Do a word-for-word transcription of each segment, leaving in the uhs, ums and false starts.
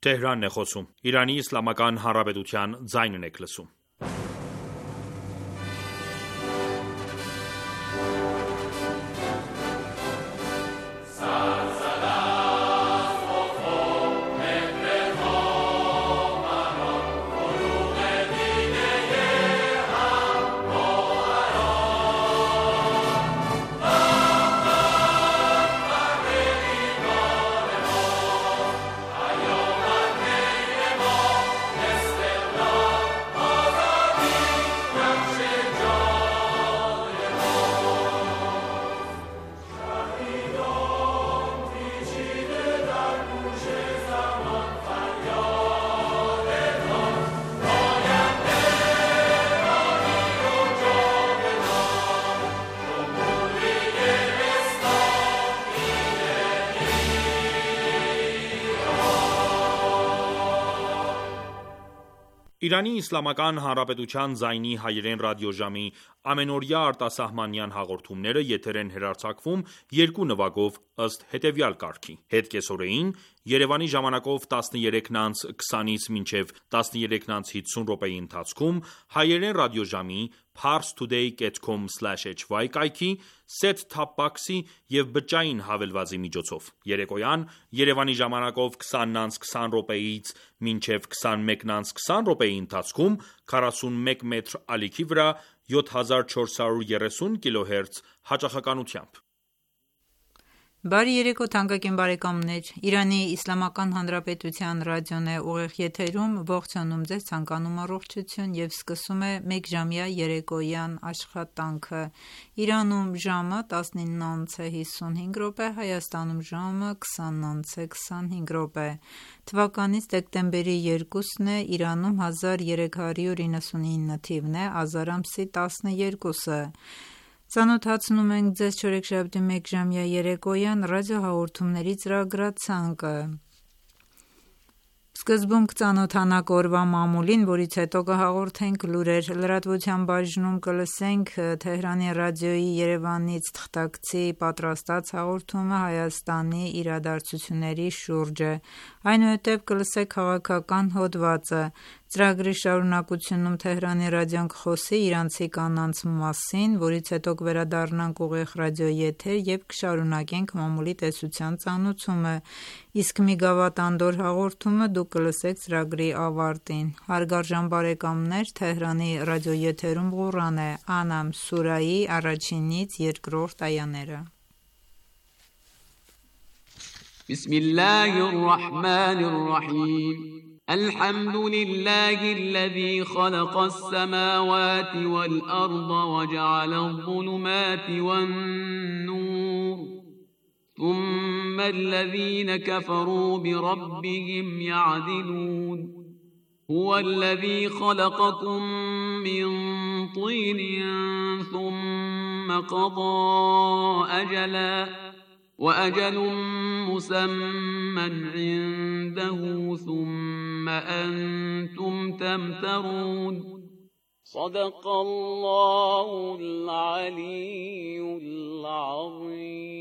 Թեհրանն է խոսում։ Իրանի Իսլամական Հանրապետության ձայնն եք լսում։ Իրանի Իսլամական Հանրապետության ձայնի հայերեն ռադիոժամի ամենօրյա արտասահմանյան հաղորդումները եթեր են հեռարձակվում երկու նվագով ըստ հետևյալ կարգի. Հետ կեսօրեին Երևանի ժամանակով տասներեքն անց քսանից մինչև տասներեքն անց հիսուն րոպեի ընթացքում հայերեն ռադիոժամի parstoday dot com slash h y կայքի set-top box-ի և բջջային հավելվածի միջոցով։ Երեկոյան Երևանի ժամանակով քսանն անց քսան րոպեից մինչև քսանմեկն անց քսան րոպեի ընթացքում քառասունմեկ մետր ալիքի վրա յոթ հազար չորս հարյուր երեսուն կիլոհերց հաճախականությամբ։ Բարի երեկո թանկագին բարեկամներ, Իրանի Իսլամական Հանրապետության ռադիոն է ուղիղ եթերում, ողջունում ձեզ, ցանկանում առողջություն եւ սկսում է մեկժամյա երեկոյան աշխատանքը։ Իրանում ժամը տասնինն անց է հիսունհինգ րոպե, Հայաստանում ժամը քսանն անց է քսանհինգ րոպե։ Թվականից դեկտեմբերի երկուսն է, Իրանում հազար երեք հարյուր իննսունինը թիվն է, ազար ամսի տասներկուսը։ Ծանոթացնում ենք ձեզ չորեքշաբթի մեկժամյա երեկոյան ռադիոհաղորդումների ծրագրացանկը։ Սկզբում կծանոթանանք օրվա մամուլին, որից հետո կհաղորդենք լուրեր, լրատվության բաժնում կլսենք Թեհրանի ռադիոյի Երևանից թղթակցի պատրաստած հաղորդումը Հայաստանի իրադարձությունների շուրջ, այնուհետև կլսենք քաղաքական հոդվածը, ծրագրի շարունակությունում Թեհրանի ռադիոն կխոսի իրանցի կանանց մասին, որից հետո կվերադառնանք ուղիղ ռադիոյի եթեր և կշարունակենք մամուլի տեսության ծանոթումը, իսկ մի գավաթ անդորր հաղորդումը դուք կլսեք ծրագրի ավարտին։ Հարգարժան բարեկամներ, Թեհրանի ռադիոյի եթերում Ղուրան է, Անամ սուրայի առաջինից երկրորդ այաները։ Բիսմիլլահի ռահմանի ռահիմ الحمد لله الذي خلق السماوات والأرض وجعل الظلمات والنور ثم الذين كفروا بربهم يعدلون هو الذي خلقكم من طين ثم قضى أجلا وأجل مسمى عنده ثم أنتم تمترون صدق الله العلي العظيم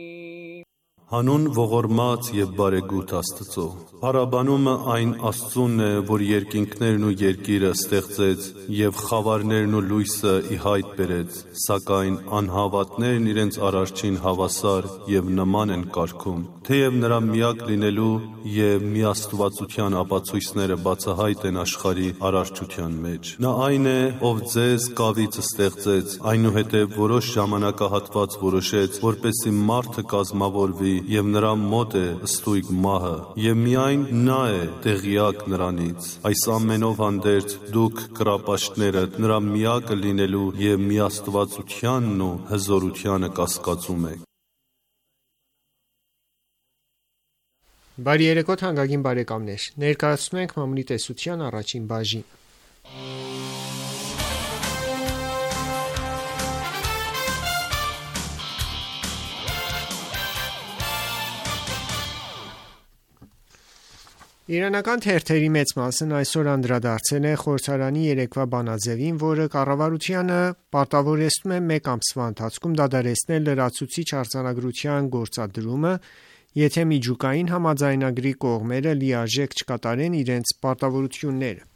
Հանուն ողորմած և բարեգութ Աստծո։ Փառաբանումը այն Աստծունն է, որ երկինքներն ու երկիրը ստեղծեց և խավարներն ու լույսը ի հայտ բերեց, սակայն անհավատներն իրենց Արարչին հավասար և նման են կարգում, թեև նրա միակ լինելու և միաստվածության ապացույցները բացահայտ են աշխարհի արարչության մեջ։ Նա այն է, ով ձեզ կավից ստեղծեց, այնուհետև որոշ ժամանակահատված որոշեց, որպեսզի մարդը կազմավորվի և նրա մոտ է ստույգ մահը, և միայն նա է տեղյակ նրանից։ Այս ամենով հանդերձ դուք կռապաշտներդ նրա միակը լինելու և միաստվածությանն ու հզորությանը կասկածում եք։ Բարի երեկո թանկագին բարեկամներ, ներկայացնում ենք մամուլի տեսության առաջին բաժին։ Իրանական թերթերի մեծ մասն այսօր անդրադարձել է խորհրդարանի երեկվա բանաձևին, որը կառավարությանը պարտավորեցնում է մեկ ամսվա ընթացքում դադարեցնել լրացուցիչ արձանագրության գործադրումը եթե միջուկային համաձայնագրի կողմերը լիարժեք չկատարեն իրենց պարտավորությունները։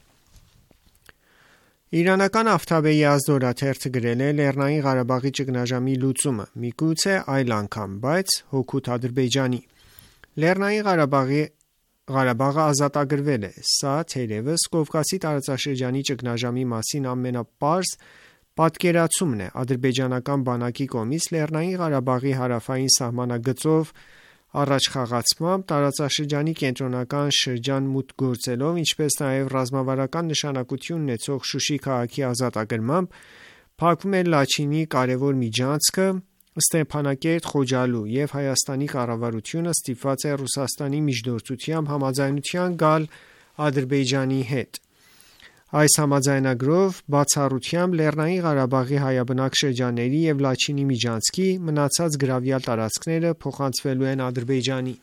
Իրանական Ավթաբեի ազդ օրաթերթը գրել է Լեռնային Ղարաբաղի ճգնաժամի լուծումը միգուցե այլ անգամ, բայց հօգուտ Ադրբեջանի։ Լեռնային Ղարաբաղի Ղարաբաղը ազատագրվել է, սա թերևս Կովկասի տարածաշրջանի ճգնաժամի մասին ամենապարզ պատկերացումն է ադրբեջանական բանակի կողմից Լեռնային Ղարաբաղի հարավային սահմանագծով առաջխաղացմամբ, տարածաշրջանի կենտրոնական շրջան մուտք գործելով, ինչպես նաև ռազմավարական նշանակություն ունեցող Շուշի քաղաքի ազատագրմամբ, փակվում է Լաչինի կարևոր միջանցքը Ստեփանակերտ Խոջալու և Հայաստանի կառավարությունը ստիպված է Ռուսաստանի միջնորդությամբ համաձայնության գալ Ադրբեջանի հետ։ Այս համաձայնագրով բացառությամբ Լեռնային Ղարաբաղի հայաբնակ շրջանների և Լաչինի միջանցքի մնացած գրավյալ տարածքները փոխանցվելու են Ադրբեջանին։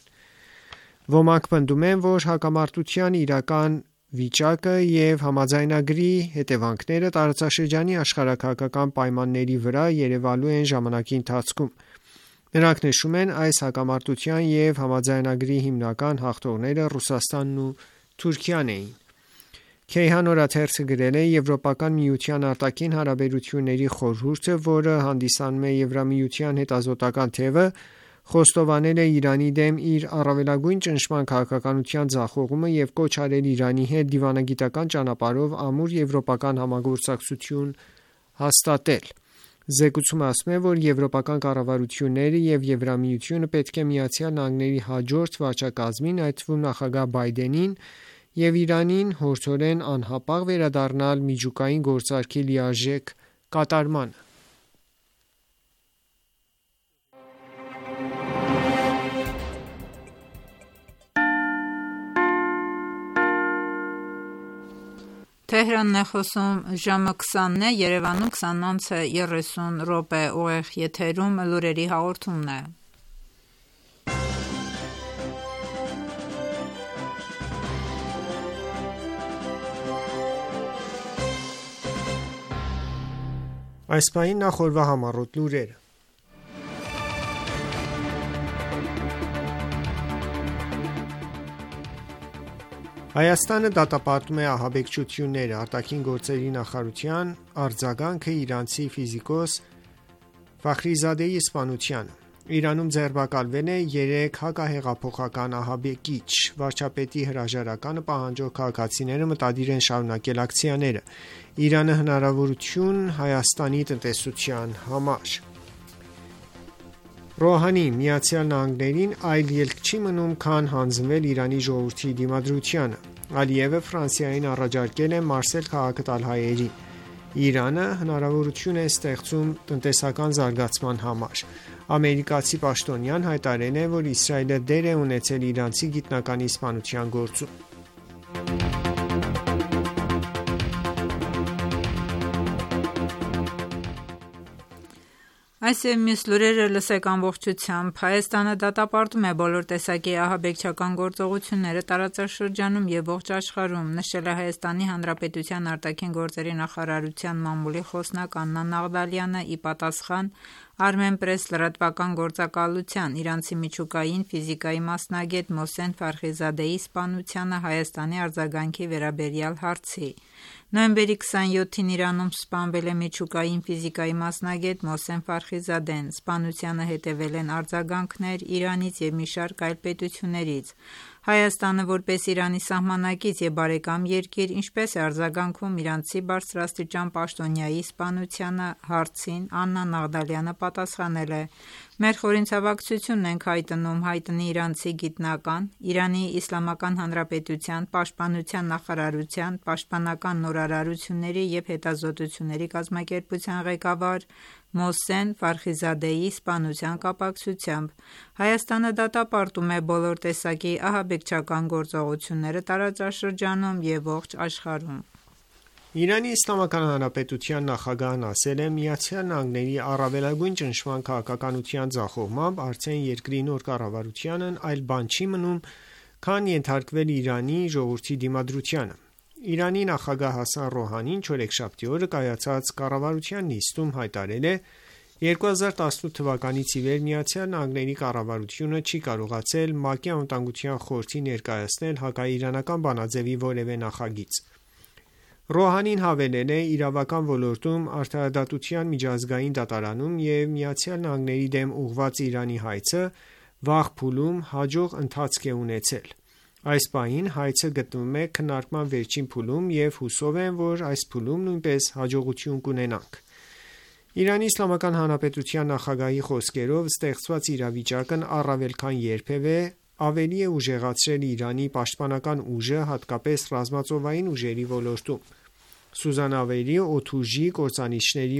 Ոմանք պնդում են, որ հակամարտության իրական վիճակը և համաձայնագրի հետևանքները տարածաշրջանի աշխարհաքաղաքական պայմանների վրա երևալու են ժամանակի ընթացքում։ Նրանք նշում են, այս հակամարտության և համաձայնագրի հիմնական հաղթողները Ռուսաստանն ու Թուրքիան էին։ Քեյհան օրաթերթը գրել է Եվրոպական միության արտաքին հարաբերությունների խորհուրդը, որը հանդիսանում է Եվրամիության հետազոտական թևը, խոստովանել է Իրանի դեմ իր առավելագույն ճնշման քաղաքականության ձախողումը և կոչ արել Իրանի հետ դիվանագիտական ճանապարհով ամուր եվրոպական համագործակցություն հաստատել։ Զեկույցում ասվում է, որ եվրոպական կառավարությունները և Եվրամիությունը պետք է Միացյալ Նահանգների հաջորդ վարչակազմին, այդ թվում նախագահ Բայդենին և Իրանին հորդորեն անհապաղ վերադառնալ միջուկային գործարքի լիարժեք կատարմանը։ Թեհրանն է խոսում, ժամը քսանն է, Երևանում քսանանց է երեսուն րոպե, ուղիղ եթերում լուրերի հաղորդումն է։ Այս պահին նախորդ համառոտ լուրերը։ Հայաստանը դատապարտում է ահաբեկչությունները, արտաքին գործերի նախարարության արձագանքը իրանցի ֆիզիկոս Ֆախրիզադեի սպանությանը։ Իրանում ձերբակալվել է երեք հակահեղափոխական ահաբեկիչ։ Վարչապետի հրաժարականը պահանջող քաղաքացիները մտադիր են շարունակել ակցիաները։ Իրանը հնարավորություն Հայաստանի տնտեսության համար։ Ռոհանի Միացյալ Նահանգներին այլ ելք չի մնում, քան հանձնվել Իրանի ժողովրդի դիմադրությանը։ Ալիևը Ֆրանսիային առաջարկել է մարսել քաղաքը տալ հայերին։ Իրանը հնարավորություն է ստեղծում տնտեսական զարգացման համար։ Ամերիկացի պաշտոնյան հայտարարել է, որ Իսրայելը դեր է ունեցել իրանցի գիտնականի սպանության գործում։ Այս և մյուս լուրերը լսեք ամբողջությամբ։ Հայաստանը դատապարտում է բոլոր տեսակի ահաբեկչական գործողությունները տարածաշրջանում և ողջ աշխարհում, նշել է Հայաստանի Հանրապետության արտաքին գործերի նախարարության մամուլի խոսնակ Աննա Նաղդալյանը՝ ի պատասխան Armenpress լրատվական գործակալության իրանցի միջուկային ֆիզիկայի մասնագետ Մոհսեն Ֆարխիզադեի սպանությանը Հայաստանի արձագանքի վերաբերյալ հարցի։ Նոյեմբերի քսանյոթին Իրանում սպանվել է միջուկային ֆիզիկայի մասնագետ Մոհսեն Ֆարխիզադեն։ Սպանությանը հետևել են արձագանքներ Իրանից և մի շարք այլ պետություններից։ Հայաստանը, որպես Իրանի սահմանակից և բարեկամ երկիր, ինչպես է արձագանքում իրանցի բարձրաստիճան պաշտոնյայի սպանությանը, հարցին Աննա Նաղդալյանը պատասխանել է. «Մեր խորհրդանշությունն ենք հայտնում հայտնի իրանցի գիտնական, Իրանի Իսլամական Հանրապետության Պաշտպանության նախարարության պաշտպանական նորարարությունների և հետազոտությունների կազմակերպության ղեկավար Մոհսեն Ֆարխիզադեի սպանության կապակցությամբ։ Հայաստանը դատապարտում է բոլոր տեսակի ահաբեկչական գործողությունները տարածաշրջանում և ողջ աշխարհում»։ Իրանի Իսլամական Հանրապետության նախագահն ասել է. «Միացյալ Նահանգների առավելագույն ճնշման քաղաքականության ձախողմամբ արդեն երկրի նոր կառավարությանն այլ բան չի մնում, քան ենթարկվել Իրանի ժողովրդի դիմադրությանը»։ Իրանի նախագահ Հասան Ռոհանին չորեքշաբթի օրը կայացած կառավարության նիստում հայտարարել է. երկու հազար տասնութ թվականից ի վեր Միացյալ Նահանգների կառավարությունը չի կարողացել ՄԱԿ-ի Անվտանգության խորհրդի ներկայացնել հակաիրանական բանաձևի որևէ նախագիծ։ Ռոհանին հավելել է իրավական ոլորտում արդարադատության միջազգային դատարանում և Միացյալ Նահանգների դեմ ուղղված Իրանի հայցը վաղ փուլում հաջող ընթացք է ունեցել։ Այս պահին հայցը գտնվում է քննարկման վերջին փուլում և հուսով եմ, որ այս փուլում նույնպես հաջողություն կունենանք։ Իրանի Իսլամական Հանրապետության նախագահի խոսքերով ստեղծված իրավիճակն առավել քան երբևէ ավելի է ուժեղացրել Իրանի պաշտպանական ուժը, հատկապես ռազմածովային ուժերի ոլորտում։ Սուզանավերի, օդուժի, կործանիչների,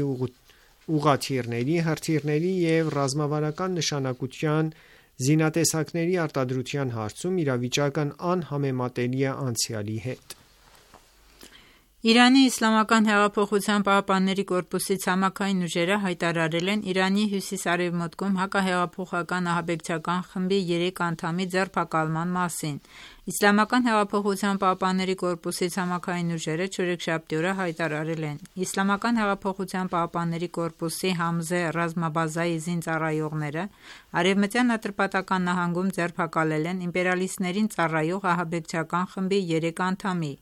ուղղաթիռների, հրթիռների և ռազմավարական նշանակության զինատեսակների արտադրության հարցում իրավիճակն անհամեմատելի է անցյալի հետ։ Իրանի Իսլամական հեղափոխության պահապանների կորպուսի ցամաքային ուժերը հայտարարել են Իրանի հյուսիս-արևմուտքում հակահեղափոխական ահաբեկչական խմբի երեք անդամի ձերբակալման մասին։ Իսլամական հեղափոխության պահապանների կորպուսի ցամաքային ուժերը չորեքշաբթի օրը հայտարարել են. Իսլամական հեղափոխության պահապանների կորպուսի Համզե ռազմաբազայի զինծառայողները Արևմտյան Ատրպատական նահանգում ձերբակալել են իմպերիալիստներին ծառայող ահաբեկչական խմբի երեք անդամի,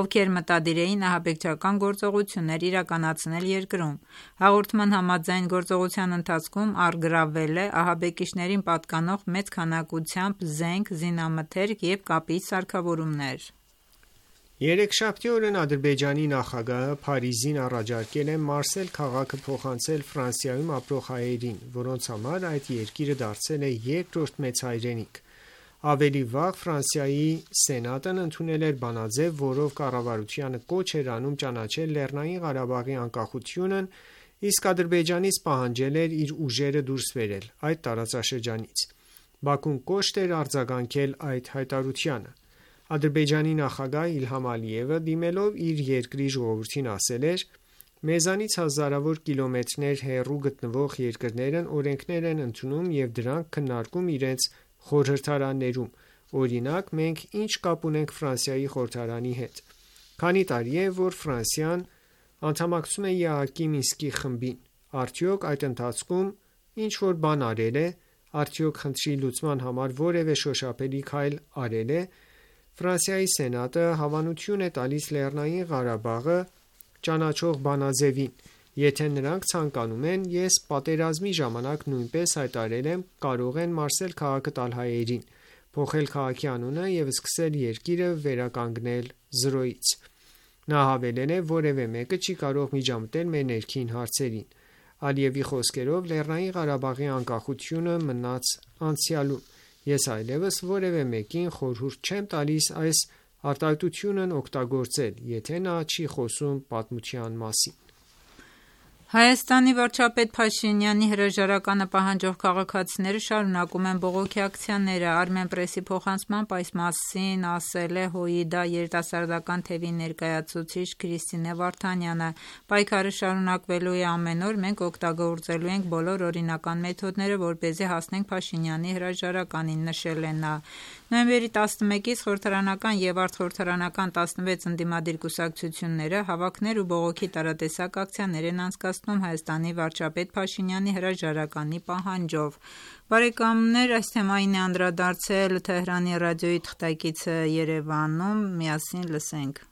ովքեր մտադիր էին ահաբեկչական գործողություններ իրականացնել երկրում։ Հաղորդման համաձայն գործողության ընթացքում առգրավվել է ահաբեկիչներին պատկանող մեծ քանակությամբ զենք, զինամթերք և կապիչ սարքավորումներ։ Երեքշաբթի օրն Ադրբեջանի նախագահը Փարիզին առաջարկել է Մարսել քաղաքը փոխանցել Ֆրանսիայում ապրող հայերին, որոնց համար այդ երկիրը դարձել է երկրորդ մեծ հայրենիք։ Ավելի վաղ Ֆրանսիայի Սենատն ընդունել էր բանաձև, որով կառավարությանը կոչ էր անում ճանաչել Լեռնային Ղարաբաղի անկախությունն, իսկ Ադրբեջանից պահանջել էր իր ուժերը դուրս բերել այդ տարածաշրջանից։ Բաքուն կոշտ էր արձագանքել այդ հայտարարությանը։ Ադրբեջանի նախագահ Իլհամ Ալիևը դիմելով իր երկրի ժողովրդին ասել էր. «Մեզանից հազարավոր կիլոմետրներ հեռու գտնվող երկրներն օրենքներ են ընդունում և դրանք քննարկում իրենց խորհրդարաններում։ Օրինակ, մենք ինչ կապ ունենք Ֆրանսիայի խորհրդարանի հետ։ Քանի տարի է, որ Ֆրանսիան անդամակցում է ԵԱՀԿ-ի Մինսկի խմբին։ Արդյոք այդ ընթացքում ինչ-որ բան արել է։ Արդյոք խնդրի լուծման համար որևէ շոշափելի քայլ արել է։ Ֆրանսիայի Սենատը հավանություն է տալիս Լեռնային Ղարաբաղը ճանաչող բանաձևին։ Եթե նրանք ցանկանում են, ես պատերազմի ժամանակ նույնպես հայտարարել եմ, կարող են Մարսել քաղաքը տալ հայերին, փոխել քաղաքի անունը և սկսել երկիրը վերականգնել զրոյից»։ Նա հավելել է. «Որևէ մեկը չի կարող միջամտել մեր ներքին հարցերին»։ Ալիևի խոսքերով Լեռնային Ղարաբաղի անկախությունը մնաց անցյալում։ Ես այլևս որևէ մեկին խորհուրդ չեմ տալիս այս արտահայտությունն օգտագործել, եթե նա չի խոսում պատմության մասին։ Հայաստանի վարչապետ Փաշինյանի հրաժարականը պահանջող քաղաքացիները շարունակում են բողոքի ակցիաները։ Armenpress-ի փոխանցմամբ այս մասին ասել է ՀՅԴ երիտասարդական թևի ներկայացուցիչ Քրիստինե Վարդանյանը։ Պայքարը շարունակվելու է ամեն օր, մենք օգտագործելու ենք բոլոր օրինական մեթոդները, որպեսզի հասնենք Փաշինյանի հրաժարականին, նշել է նա։ Նոյեմբերի տասնմեկից խորհրդարանական և արտխորհրդարանական տասնվեց ընդդիմադիր կուսակցությունները հավաքներ ու բողոքի տարատեսակ ակցիաներ են անցկացնում Հայաստանի վարչապետ Փաշինյանի հրաժարականի պահանջով։ Բարեկամներ, այս թեմային է անդրադարձել Թեհրանի ռադիոյի թղթակիցը Երևանում, միասին լսենք։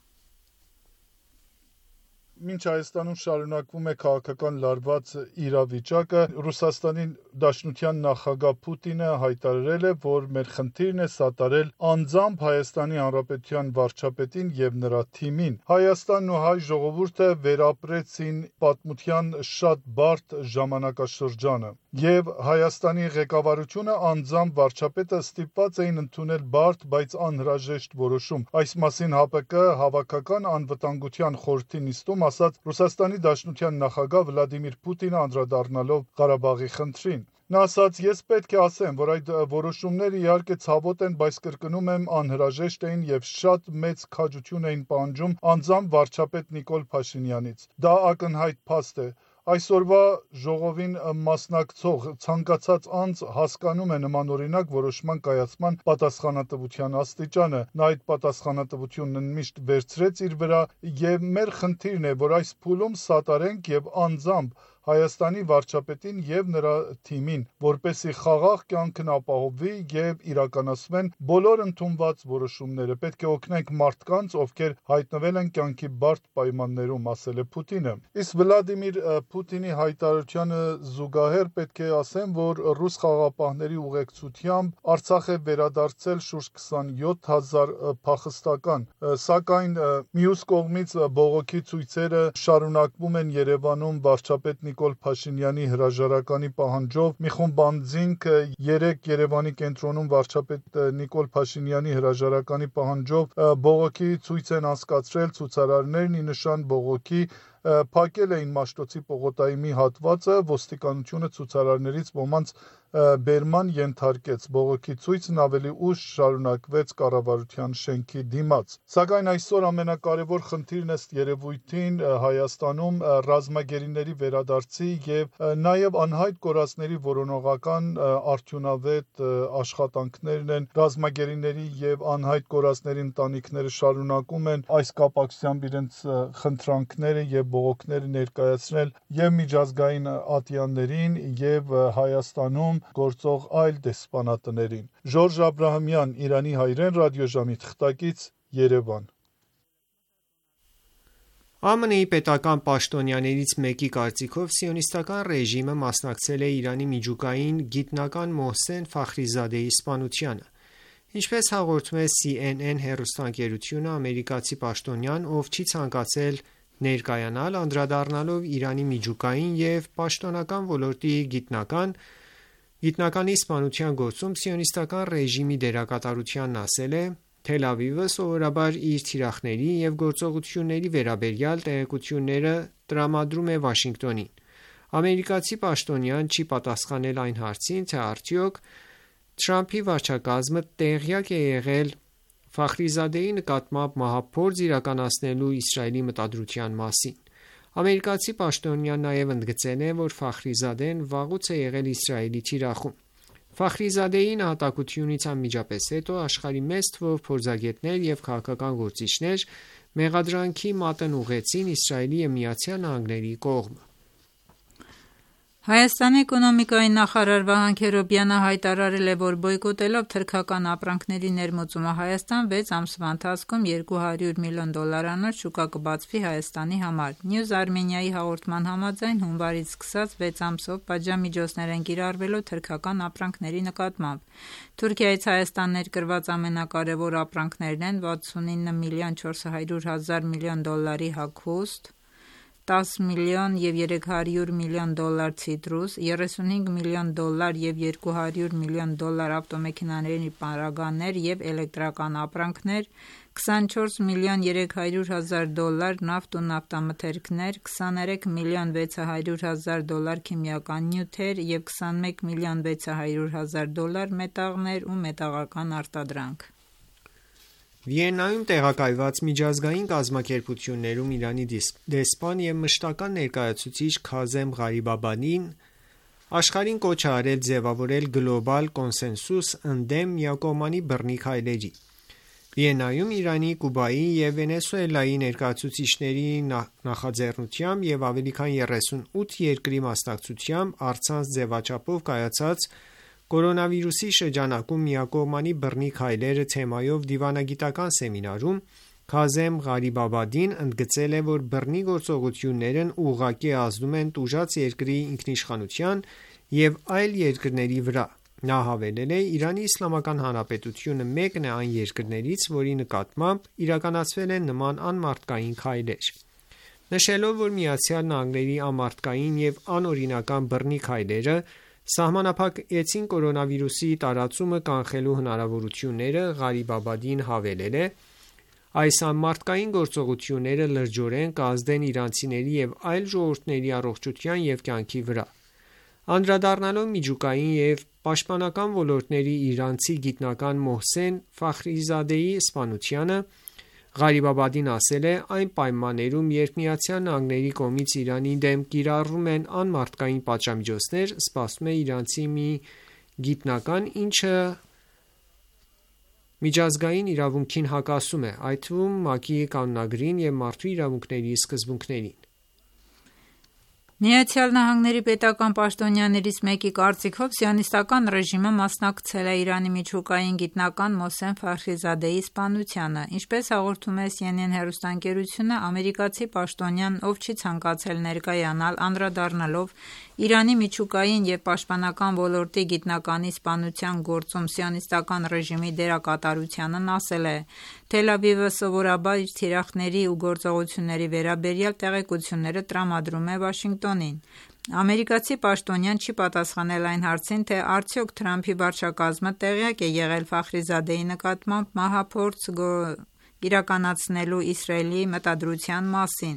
Մինչ Հայաստանում շարունակվում է քաղաքական լարված իրավիճակը, Ռուսաստանի Դաշնության նախագահ Պուտինը հայտարարել է, որ մեր խնդիրն է սատարել անձամբ Հայաստանի Հանրապետության վարչապետին և նրա թիմին։ Հայաստանն ու հայ ժողովուրդը վերապրեցին պատմության շատ բարդ ժամանակաշրջանը, և Հայաստանի ղեկավարությունը անձամբ վարչապետը ստիպված էին ընդունել բարդ, բայց անհրաժեշտ որոշում։ Այս մասին ՀԱՊԿ Հավաքական անվտանգության խորհրդի նիստում ասաց Ռուսաստանի Դաշնության նախագահ Վլադիմիր Պուտինը անդրադառնալով Ղարաբաղի խնդրին։ Նա ասաց. «Ես պետք է ասեմ, որ այդ որոշումները իհարկե ցավոտ են, բայց կրկնում եմ, անհրաժեշտ էին և շատ մեծ քաջություն էին պահանջում անձամբ վարչապետ Նիկոլ Փաշինյանից։ Դա ակնհայտ փաստ է։ Այսօրվա ժողովին մասնակցող ցանկացած անձ հասկանում է նմանօրինակ որոշման կայացման պատասխանատվության աստիճանը։ Նա այդ պատասխանատվությունն միշտ վերցրեց իր վրա, և մեր խնդիրն է, որ այս փուլում սատարենք և անձամբ Հայաստանի վարչապետին եւ նրա թիմին, որպեսզի խաղաղ կյանքն ապահովվի եւ իրականացվեն բոլոր ընդունված որոշումները։ Պետք է օգնենք մարդկանց, ովքեր հայտնվել են կյանքի բարդ պայմաններում, ասել է Պուտինը։ Իսկ Վլադիմիր Պուտինի հայտարարությանը զուգահեռ պետք է ասեմ, որ ռուս խաղաղապահների ուղեկցությամբ Արցախ է վերադարձել շուրջ քսանյոթ հազար փախստական, սակայն մյուս կողմից բողոքի ցույցերը շարունակվում են Երևանում վարչապետ Նիկոլ Փաշինյանի հրաժարականի պահանջով։ Մի խումբ անձինք երեկ Երևանի կենտրոնում վարչապետ Նիկոլ Փաշինյանի հրաժարականի պահանջով բողոքի ցույց են անցկացրել, ցուցարարներն ի նշան բողոքի փակել էին Մաշտոցի պողոտայի մի հատվածը, ոստիկանությունը ցուցարարներից ոմանց բերման ենթարկեց։ Բողոքի ցույցն ավելի ուշ շարունակվեց կառավարության շենքի դիմաց։ Սակայն այսօր ամենակարևոր խնդիրն ըստ երևույթին Հայաստանում ռազմագերիների վերադարձի եւ նաեւ անհայտ կորածների որոնողական արդյունավետ աշխատանքներն են։ Ռազմագերիների եւ անհայտ կորածների ընտանիքները շարունակում են այս կապակցությամբ իրենց խնդրանքները եւ բողոքները ներկայացնել եւ միջազգային ատյաններին եւ Հայաստանում գործող այլ դեսպանատներին։ Ժորժ Աբրահամյան, Իրանի հայրեն ռադիոժամի թղթակից, Երևան։ ԱՄՆ-ի պետական պաշտոնյաներից մեկի կարծիքով սիոնիստական ռեժիմը մասնակցել է Իրանի միջուկային գիտնական Մոհսեն Ֆախրիզադեի սպանությանը։ Ինչպես հաղորդում է C N N հեռուստաընկերությունը, ամերիկացի պաշտոնյան, ով չի ցանկացել ներկայանալ, անդրադառնալով Իրանի միջուկային եւ պաշտոնական ոլորտի գիտնական գիտնականի սպանության գործում սիոնիստական ռեժիմի դերակատարությանն, ասել է. Թել Ավիվը սովորաբար իր թիրախների եւ գործողությունների վերաբերյալ տեղեկությունները տրամադրում է Վաշինգտոնին։ Ամերիկացի պաշտոնյան չի պատասխանել այն հարցին, թե արդյոք Թրամփի վարչակազմը տեղյակ է եղել Ֆախրիզադեի նկատմամբ մահափորձ իրականացնելու Իսրայելի մտադրության մասին։ Ամերիկացի պաշտոնյան նաև ընդգծել է, որ Ֆախրիզադեն վաղուց է եղել Իսրայելի թիրախում։ Ֆախրիզադեի նահատակությունից անմիջապես հետո աշխարհի մեծ թվով փորձագետներ եւ քաղաքական գործիչներ մեղադրանքի մատն ուղղեցին Իսրայելի եւ Միացյալ Նահանգների կողմը։ Հայաստանի էկոնոմիկայի նախարար Վահան Քերոբյանը հայտարարել է, որ բոյկոտելով թրքական ապրանքների ներմուծումը Հայաստան վեց ամսվա ընթացքում երկու հարյուր միլիոն դոլարանոց շուկա կբացվի Հայաստանի համար։ News Armenia-ի հաղորդման համաձայն հունվարից սկսած վեց ամսով պատժամիջոցներ են կիրառվելու թրքական ապրանքների նկատմամբ։ Թուրքիայից Հայաստան ներկրված ամենակարևոր ապրանքներն են վաթսունինը միլիոն չորս հարյուր հազար միլիոն դոլարի հագուստ, տաս միլիոն եւ երեք հարյուր միլիոն դոլար ցիտրուս, երեսունհինգ միլիոն դոլար եւ երկու հարյուր միլիոն դոլար ավտոմեքենաների պարագաներ եւ էլեկտրական ապրանքներ, քսանչորս միլիոն երեք հարյուր հազար դոլար նավթ ու նավթամթերքներ, քսաներեք միլիոն վեց հարյուր հազար դոլար քիմիական նյութեր եւ քսանմեկ միլիոն վեց հարյուր հազար դոլար մետաղներ ու մետաղական արտադրանք։ Վիեննայում տեղակայված միջազգային կազմակերպություններում Իրանի դեսպան եւ մշտական ներկայացուցիչ Քազեմ Ղարիբաբադին աշխարհին կոչ է արել ձևավորել գլոբալ կոնսենսուս ընդդեմ միակողմանի բռնի քայլերի։ Վիեննայում Իրանի, Կուբայի եւ Վենեսուելայի ներկայացուցիչների նախաձեռնությամբ եւ ավելի քան երեսունութ երկրի մասնակցությամբ առցանց ձևաչափով կայացած Կորոնավիրուսի շրջանակում միակողմանի բռնի քայլերը թեմայով դիվանագիտական սեմինարում Քազեմ Ղարիբաբադին ընդգծել է, որ բռնի գործողություններն ուղղակի ազդում են տուժած երկրի ինքնիշխանության եւ այլ երկրների վրա։ Նա հավելել է. Իրանի Իսլամական Հանրապետությունը մեկն է այն երկրներից, որի նկատմամբ իրականացվել են նման անմարդկային քայլեր։ Նշելով, որ Միացյալ Նահանգների անմարդկային եւ անօրինական բռնի քայլերը սահմանափակեցին կորոնավիրուսի տարածումը կանխելու հնարավորությունները, Ղարիբաբադին հավելել է. այս անմարդկային գործողությունները լրջորեն կազդեն իրանցիների եւ այլ ժողովուրդների առողջության եւ կյանքի վրա։ Անդրադառնալով միջուկային եւ պաշտպանական ոլորտների իրանցի գիտնական Մոհսեն Ֆախրիզադեի սպանությանը, Ղարիբաբադին ասել է. այն պայմաններում, երբ Միացյալ Նահանգների կողմից Իրանի դեմ կիրառվում են անմարդկային պատժամիջոցներ, սպասվում է իրանցի մի գիտնական, ինչը միջազգային իրավունքին հակասում է, այդ թվում ՄԱԿ-ի կանոնագրին եւ մարդու իրավունքների սկզբունքներին։ Միացյալ Նահանգների պետական պաշտոնյաներից մեկի կարծիքով սիոնիստական ռեժիմը մասնակցել է Իրանի միջուկային գիտնական Մոհսեն Ֆարխիզադեի սպանությանը։ Ինչպես հաղորդում է Սի Են Են հեռուստաընկերությունը, ամերիկացի պաշտոնյան, ով չի ցանկացել ներկայանալ, անդրադառնալով Իրանի միջուկային և պաշտպանական ոլորտի գիտնականի սպանության գործում սիոնիստական ռեժիմի դերակատարությանն, ասել է. «Թել Ավիվը սովորաբար իր թիրախների ու գործողությունների վերաբերյալ տեղեկությունները տրամադրում է Վաշինգտոնին»։ Ամերիկացի պաշտոնյան չի պատասխանել այն հարցին, թե արդյոք Թրամփի վարչակազմը տեղյակ է եղել Ֆախրիզադեի նկատմամբ մահափորձ իրականացնելու Իսրայելի մտադրության մասին։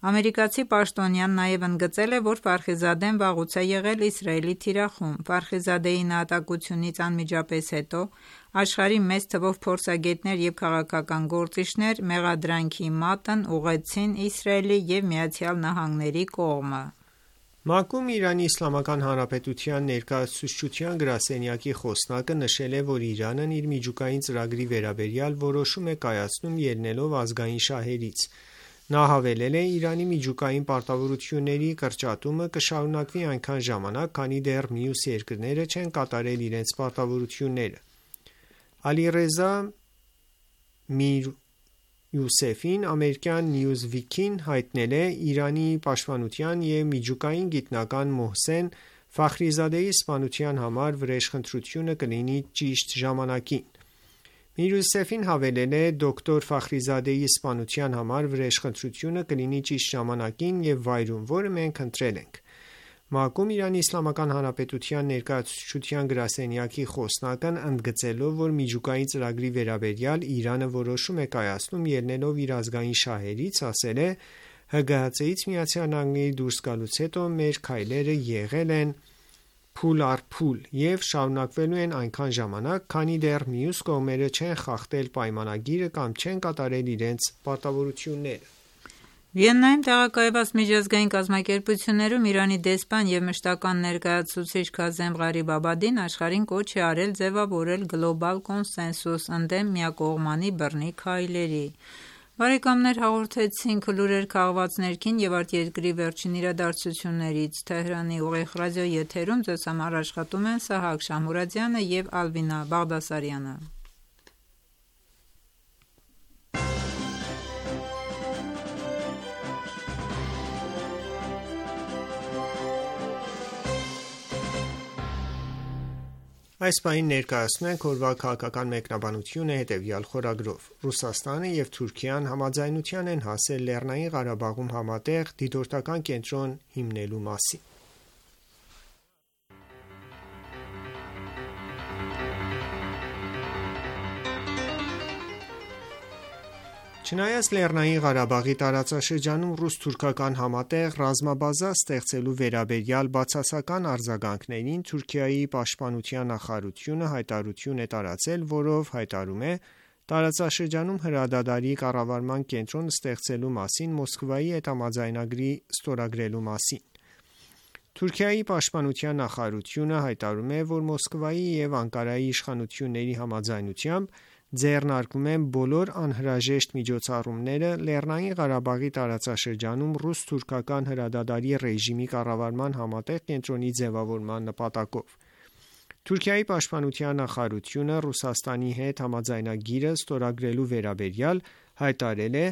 Ամերիկացի պաշտոնյան նաև ընդգծել է, որ Ֆարխիզադեն վաղուց է եղել Իսրայելի թիրախում։ Ֆարխիզադեի նահատակությունից անմիջապես հետո աշխարհի մեծ թվով փորձագետներ և քաղաքական գործիչներ մեղադրանքի մատն ուղղեցին Իսրայելի և Միացյալ Նահանգների կողմը։ ՄԱԿ-ում Իրանի Իսլամական Հանրապետության ներկայացուցչության գրասենյակի խոսնակը նշել է, որ Իրանն իր միջուկային ծրագրի վերաբերյալ որոշում է կայացնում ելնելով ազգային շահերից։ Նա հավելել է. «Իրանի միջուկային պարտավորությունների կրճատումը կշարունակվի այնքան ժամանակ, քանի դեռ մյուս երկրները չեն կատարել իրենց պարտավորությունները»։ Ալիռեզա Միր-Յուսեֆին ամերիկյան Newsweek-ին հայտնել է. «Իրանի պաշտպանության և միջուկային գիտնական Մոհսեն Ֆախրիզադեի սպանության համար վրեժխնդրությունը կլինի ճիշտ ժամանակին»։ Միր-Յուսեֆին հավելել է. «Դոկտոր Ֆախրիզադեի սպանության համար վրեժխնդրությունը կլինի ճիշտ ժամանակին և վայրում, որը մենք ընտրել ենք»։ ՄԱԿ-ում Իրանի Իսլամական Հանրապետության ներկայացուցչության գրասենյակի խոսնակն ընդգծելով, որ միջուկային ծրագրի վերաբերյալ Իրանը որոշում է կայացնում ելնելով իր ազգային շահերից, ասել է. «ՀԳՀԾ-ից ԱՄՆ-ի դուրս գալուց հետո մեր քայլերը եղել են փուլ առ փուլ և շարունակվելու են այնքան ժամանակ, քանի դեռ մյուս կողմերը չեն խախտել պայմանագիրը կամ չեն կատարել իրենց պարտավորությունները»։ Վիեննայում տեղակայված միջազգային կազմակերպություններում Իրանի դեսպան և մշտական ներկայացուցիչ Քազեմ Ղարիբաբադին աշխարհին կոչ է արել ձևավորել գլոբալ կոնսենսուս ընդդեմ միակողմանի բռնի քայլերի։ Բարեկամներ, հաղորդեցինք լուրեր քաղված ներքին և արտերկրի վերջին իրադարձություններից։ Թեհրանի ուղիղ ռադիոյի եթերում ձեզ համար աշխատում են Սահակ Շամուրադյանը և Ալվինա Բաղդասարյանը։ Այս պահին ներկայացնում ենք օրվա քաղաքական մեկնաբանությունը հետևյալ խորագրով. Ռուսաստանը և Թուրքիան համաձայնության են հասել Լեռնային Ղարաբաղում համատեղ դիտորդական կենտրոն հիմնելու մասին։ Չնայած Լեռնային Ղարաբաղի տարածաշրջանում ռուս-թուրքական համատեղ ռազմաբազա ստեղծելու վերաբերյալ բացասական արձագանքներին, Թուրքիայի պաշտպանության նախարարությունը հայտարարություն է տարածել, որով հայտարարում է տարածաշրջանում հրադադարի կառավարման կենտրոն ստեղծելու մասին Մոսկվայի հետ համաձայնագրի ստորագրելու մասին։ Թուրքիայի պաշտպանության նախարարությունը հայտարարում է, որ Մոսկվայի և Անկարայի իշխանությունների համաձայնությամբ ձեռնարկվում են բոլոր անհրաժեշտ միջոցառումները Լեռնային Ղարաբաղի տարածաշրջանում ռուս-թուրքական հրադադարի ռեժիմի կառավարման համատեղ կենտրոնի ձևավորման նպատակով։ Թուրքիայի պաշտպանության նախարարությունը Ռուսաստանի հետ համաձայնագիրը ստորագրելու վերաբերյալ հայտարարել է.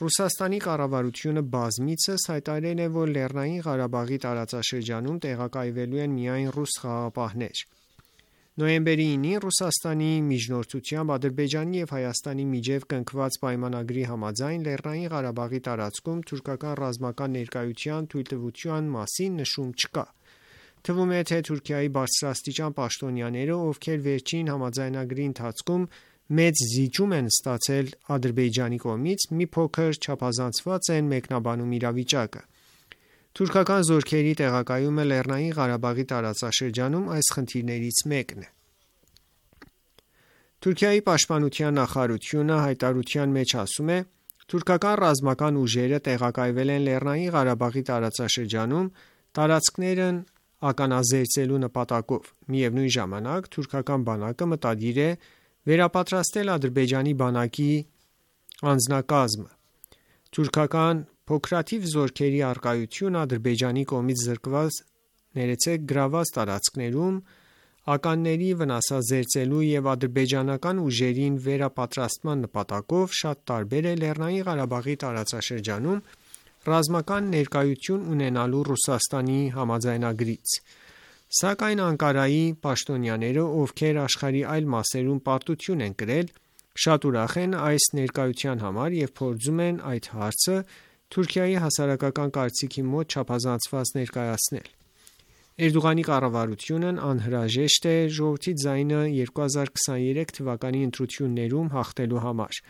Ռուսաստանի կառավարությունը բազմիցս հայտարարել է, որ Լեռնային Ղարաբաղի տարածաշրջանում տեղակայվելու են միայն ռուս խաղաղապահներ։ Նոյեմբերի ինին Ռուսաստանի միջնորդությամբ Ադրբեջանի և Հայաստանի միջև կնքված պայմանագրի համաձայն Լեռնային Ղարաբաղի տարածքում թուրքական ռազմական ներկայության թույլտվության մասին նշում չկա։ Թվում է, թե Թուրքիայի բարձրաստիճան պաշտոնյաները, ովքեր վերջին համաձայնագրի ընթացքում մեծ զիջում են ստացել Ադրբեջանի կողմից, մի փոքր չափազանցված են մեկնաբանում իրավիճակը։ Թուրքական զորքերի տեղակայումը Լեռնային Ղարաբաղի տարածաշրջանում այս խնդիրներից մեկն է։ Թուրքիայի պաշտպանության նախարարությունը հայտարարության մեջ ասում է. «Թուրքական ռազմական ուժերը տեղակայվել են Լեռնային Ղարաբաղի տարածաշրջանում տարածքներն ականազերծելու նպատակով։ Միևնույն ժամանակ, թուրքական բանակը մտադիր է վերապատրաստել Ադրբեջանի բանակի անձնակազմը։ Թուրքական Փոքրաթիվ զորքերի առկայությունը Ադրբեջանի կողմից զրկված ներեցեք գրաված տարածքներում ականների վնասազերծելու և ադրբեջանական ուժերին վերապատրաստման նպատակով շատ տարբեր է Լեռնային Ղարաբաղի տարածաշրջանում ռազմական ներկայություն ունենալու Ռուսաստանի համաձայնագրից։ Սակայն Անկարայի պաշտոնյաները, ովքեր աշխարհի այլ մասերում պարտություն են կրել, շատ ուրախ են այս ներկայության համար և փորձում են այդ հարցը Թուրքիայի հասարակական կարծիքի մոտ չափազանցված ներկայացնել։ Էրդողանի կառավարությունն անհրաժեշտ է ժողովրդի ձայնը երկու հազար քսաներեք թվականի ընտրություններում հաղթելու համար,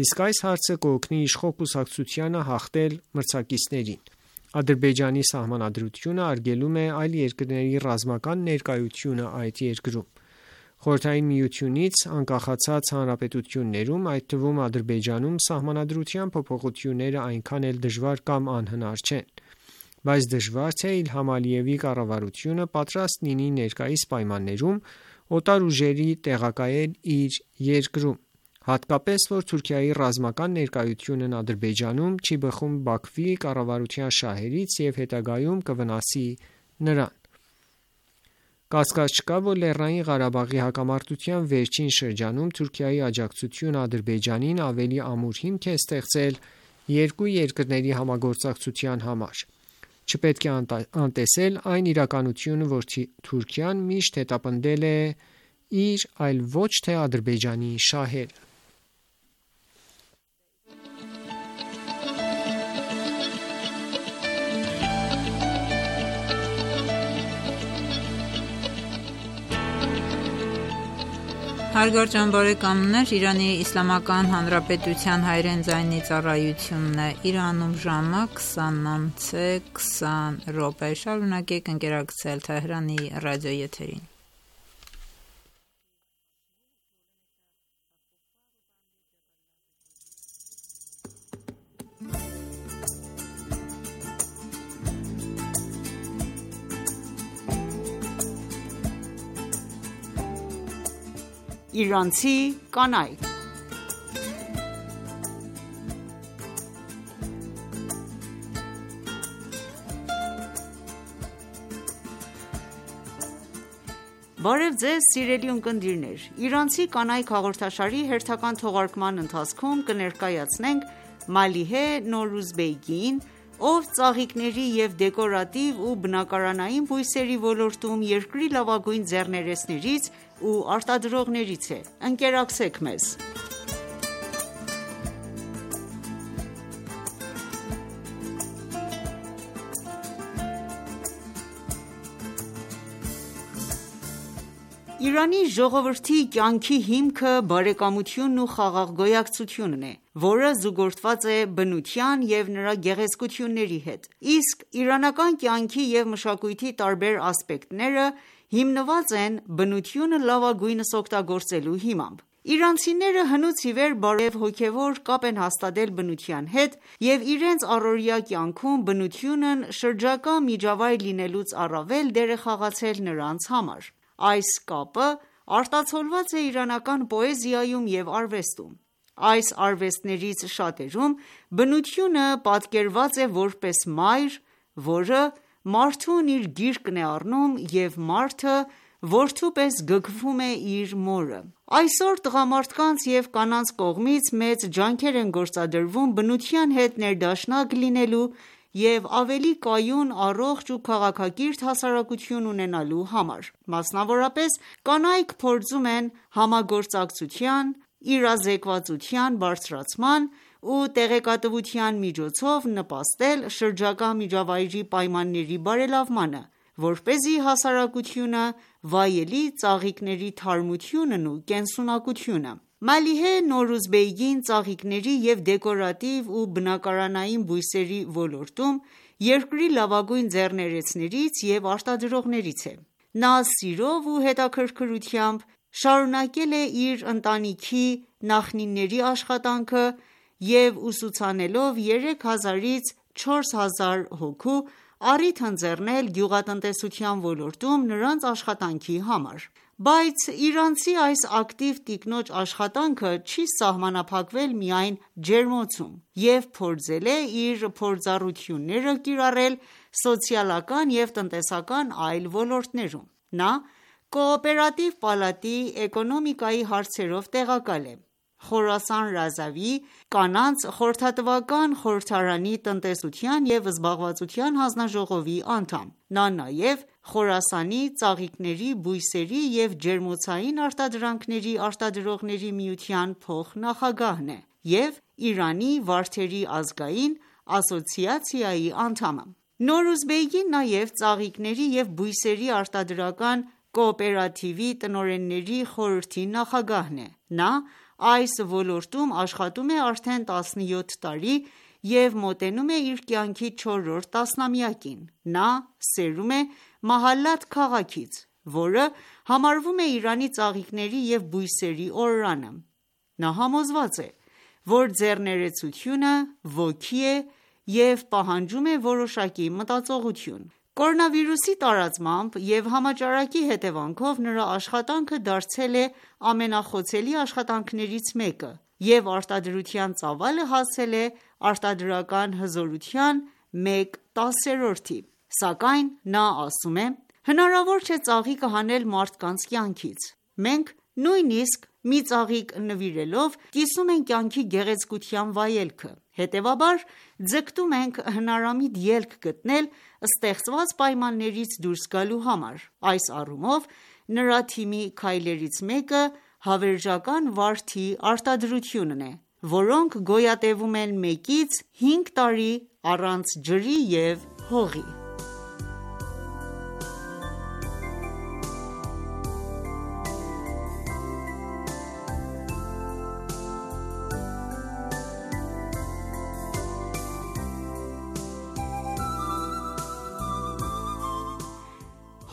իսկ այս հարցը կօգնի իշխող կուսակցությանը հաղթել մրցակիցներին։ Ադրբեջանի սահմանադրությունը արգելում է այլ երկրների ռազմական ներկայությունը այդ երկրում։ Խորհրդային Միությունից անկախացած հանրապետություններում, այդ թվում Ադրբեջանում, սահմանադրության փոփոխությունները այնքան էլ դժվար կամ անհնար չեն, բայց դժվար թե Իլհամ Ալիևի կառավարությունը պատրաստ լինի ներկայիս պայմաններում օտար ուժերի տեղակայել իր երկրում, հատկապես որ Թուրքիայի ռազմական ներկայությունն Ադրբեջանում չի բխում Բաքվի կառավարության շահերից և հետագայում կվնասի նրան։ Կասկած չկա, որ Լեռնային Ղարաբաղի հակամարտության վերջին շրջանում Թուրքիայի աջակցությունը Ադրբեջանին ավելի ամուր հիմք է ստեղծել երկու երկրների համագործակցության համար։ Չպետք է անտեսել այն իրականությունը, որ Թուրքիան միշտ հետապնդել է իր, այլ ոչ թե Ադրբեջանի շահերը։ Հարգարժան բարեկամներ, Իրանի Իսլամական Հանրապետության հայրեն ձայնի ծառայությունն է, Իրանում ժամը քսանն անց է քսան րոպե, շարունակեք ընկերակցել Թեհրանի ռադիոեթերին։ Իրանցի կանայք։ Բարև ձեզ սիրելի ունկնդիրներ, Իրանցի կանայք հաղորդաշարի հերթական թողարկման ընթացքում կներկայացնենք Մալիհե Նորուզբեգին, ով ծաղիկների և դեկորատիվ ու բնակարանային բույսերի ոլորտում երկրի լավագույն ձեռներեցներից ու արտադրողներից է։ Ընկերակցեք մեզ։ Իրանի ժողովրդի կյանքի հիմքը բարեկամությունն ու խաղաղ գոյակցությունն է, որը զուգորդված է բնության և նրա գեղեցկությունների հետ, իսկ իրանական կյանքի և մշակույթի տարբեր ասպեկտները հիմնված են բնությունը լավագույնս օգտագործելու հիմամբ։ Իրանցիները հնուց ի վեր բարև հոգևոր կապ են հաստատել բնության հետ և իրենց առօրյա կյանքում բնությունն շրջակա միջավայր լինելուց առավել դեր է խաղացել նրանց համար։ Այս կապը արտացոլված է իրանական պոեզիայում և արվեստում։ Այս արվեստներից շատերում բնությունը պատկերված է որպես մայր, որը մարդուն իր գիրկն է առնում և մարդը որդու պես գգվում է իր մորը։ Այսօր տղամարդկանց և կանանց կողմից մեծ ջանքեր են գործադրվում բնության հետ ներդաշնակ լինելու և ավելի կայուն, առողջ ու քաղաքակիրթ հասարակություն ունենալու համար։ Մասնավորապես, կանայք փորձում են համագործակցության, իրազեկվածության բարձրացման ու տեղեկատվության միջոցով նպաստել շրջակա միջավայրի պայմանների բարելավմանը, որպեսզի հասարակությունը վայելի ծաղիկների թարմությունն ու կենսունակությունը։ Մալիհե Նորուզբեգին ծաղիկների և դեկորատիվ ու բնակարանային բույսերի ոլորտում երկրի լավագույն ձեռներեցներից և արտադրողներից է։ Նա սիրով ու հետաքրքրությամբ շարունակել է իր ընտանիքի նախնիների աշխատանքը և ուսուցանելով երեք հազարից չորս հազար հոգու, առիթ ընձեռնել գյուղատնտեսության ոլորտում նրանց աշխատանքի համար։ Բայց իրանցի այս ակտիվ տիկնոջ աշխատանքը չի սահմանափակվել միայն ջերմոցում և փորձել է իր փորձառությունները կիրառել սոցիալական և տնտեսական այլ ոլորտներում: Նա կոոպերատիվ պալատի էկոնոմիկայի հարցերով տեղակալ է, Խորասան Ռազավիի կանանց խորհրդատվական խորհրդարանի տնտեսության և զբաղվածության հանձնաժողովի անդամ: Նա նաև Խորասանի ծաղիկների, բույսերի և ջերմոցային արտադրանքների արտադրողների միության փոխնախագահն է և Իրանի վարդերի ազգային ասոցիացիայի անդամը: Նորուզբեգին նաև ծաղիկների և բույսերի արտադրական կոոպերատիվի տնօրենների խորհրդի նախագահն է: Նա այս ոլորտում աշխատում է արդեն տասնյոթ տարի և մոտենում է իր կյանքի չորրորդ տասնամյակին: Նա սերում է Մահալաթ քաղաքից, որը համարվում է Իրանի ծաղիկների և բույսերի օրրանը: Նա համոզված է, որ ձեռներեցությունը ոգի է և պահանջում է որոշակի մտածողություն: Կորոնավիրուսի տարածմամբ և համաճարակի հետևանքով նրա աշխատանքը դարձել է ամենախոցելի աշխատանքներից մեկը և արտադրության ծավալը հասել է արտադրական հզորության մեկ տասերորդի: Սակայն նա ասում է. «Հնարավոր չէ ծաղիկը հանել մարդկանց կյանքից: Մենք նույնիսկ մի ծաղիկ նվիրելով կիսում ենք կյանքի գեղեցկության վայելքը: Հետևաբար ձգտում ենք հնարամիտ ելք գտնել ստեղծված պայմաններից դուրս գալու համար: Այս առումով նրա թիմի քայլերից մեկը հավերժական վարդի արտադրությունն է, որոնք գոյատևում են մեկից հինգ տարի առանց ջրի և հողի»: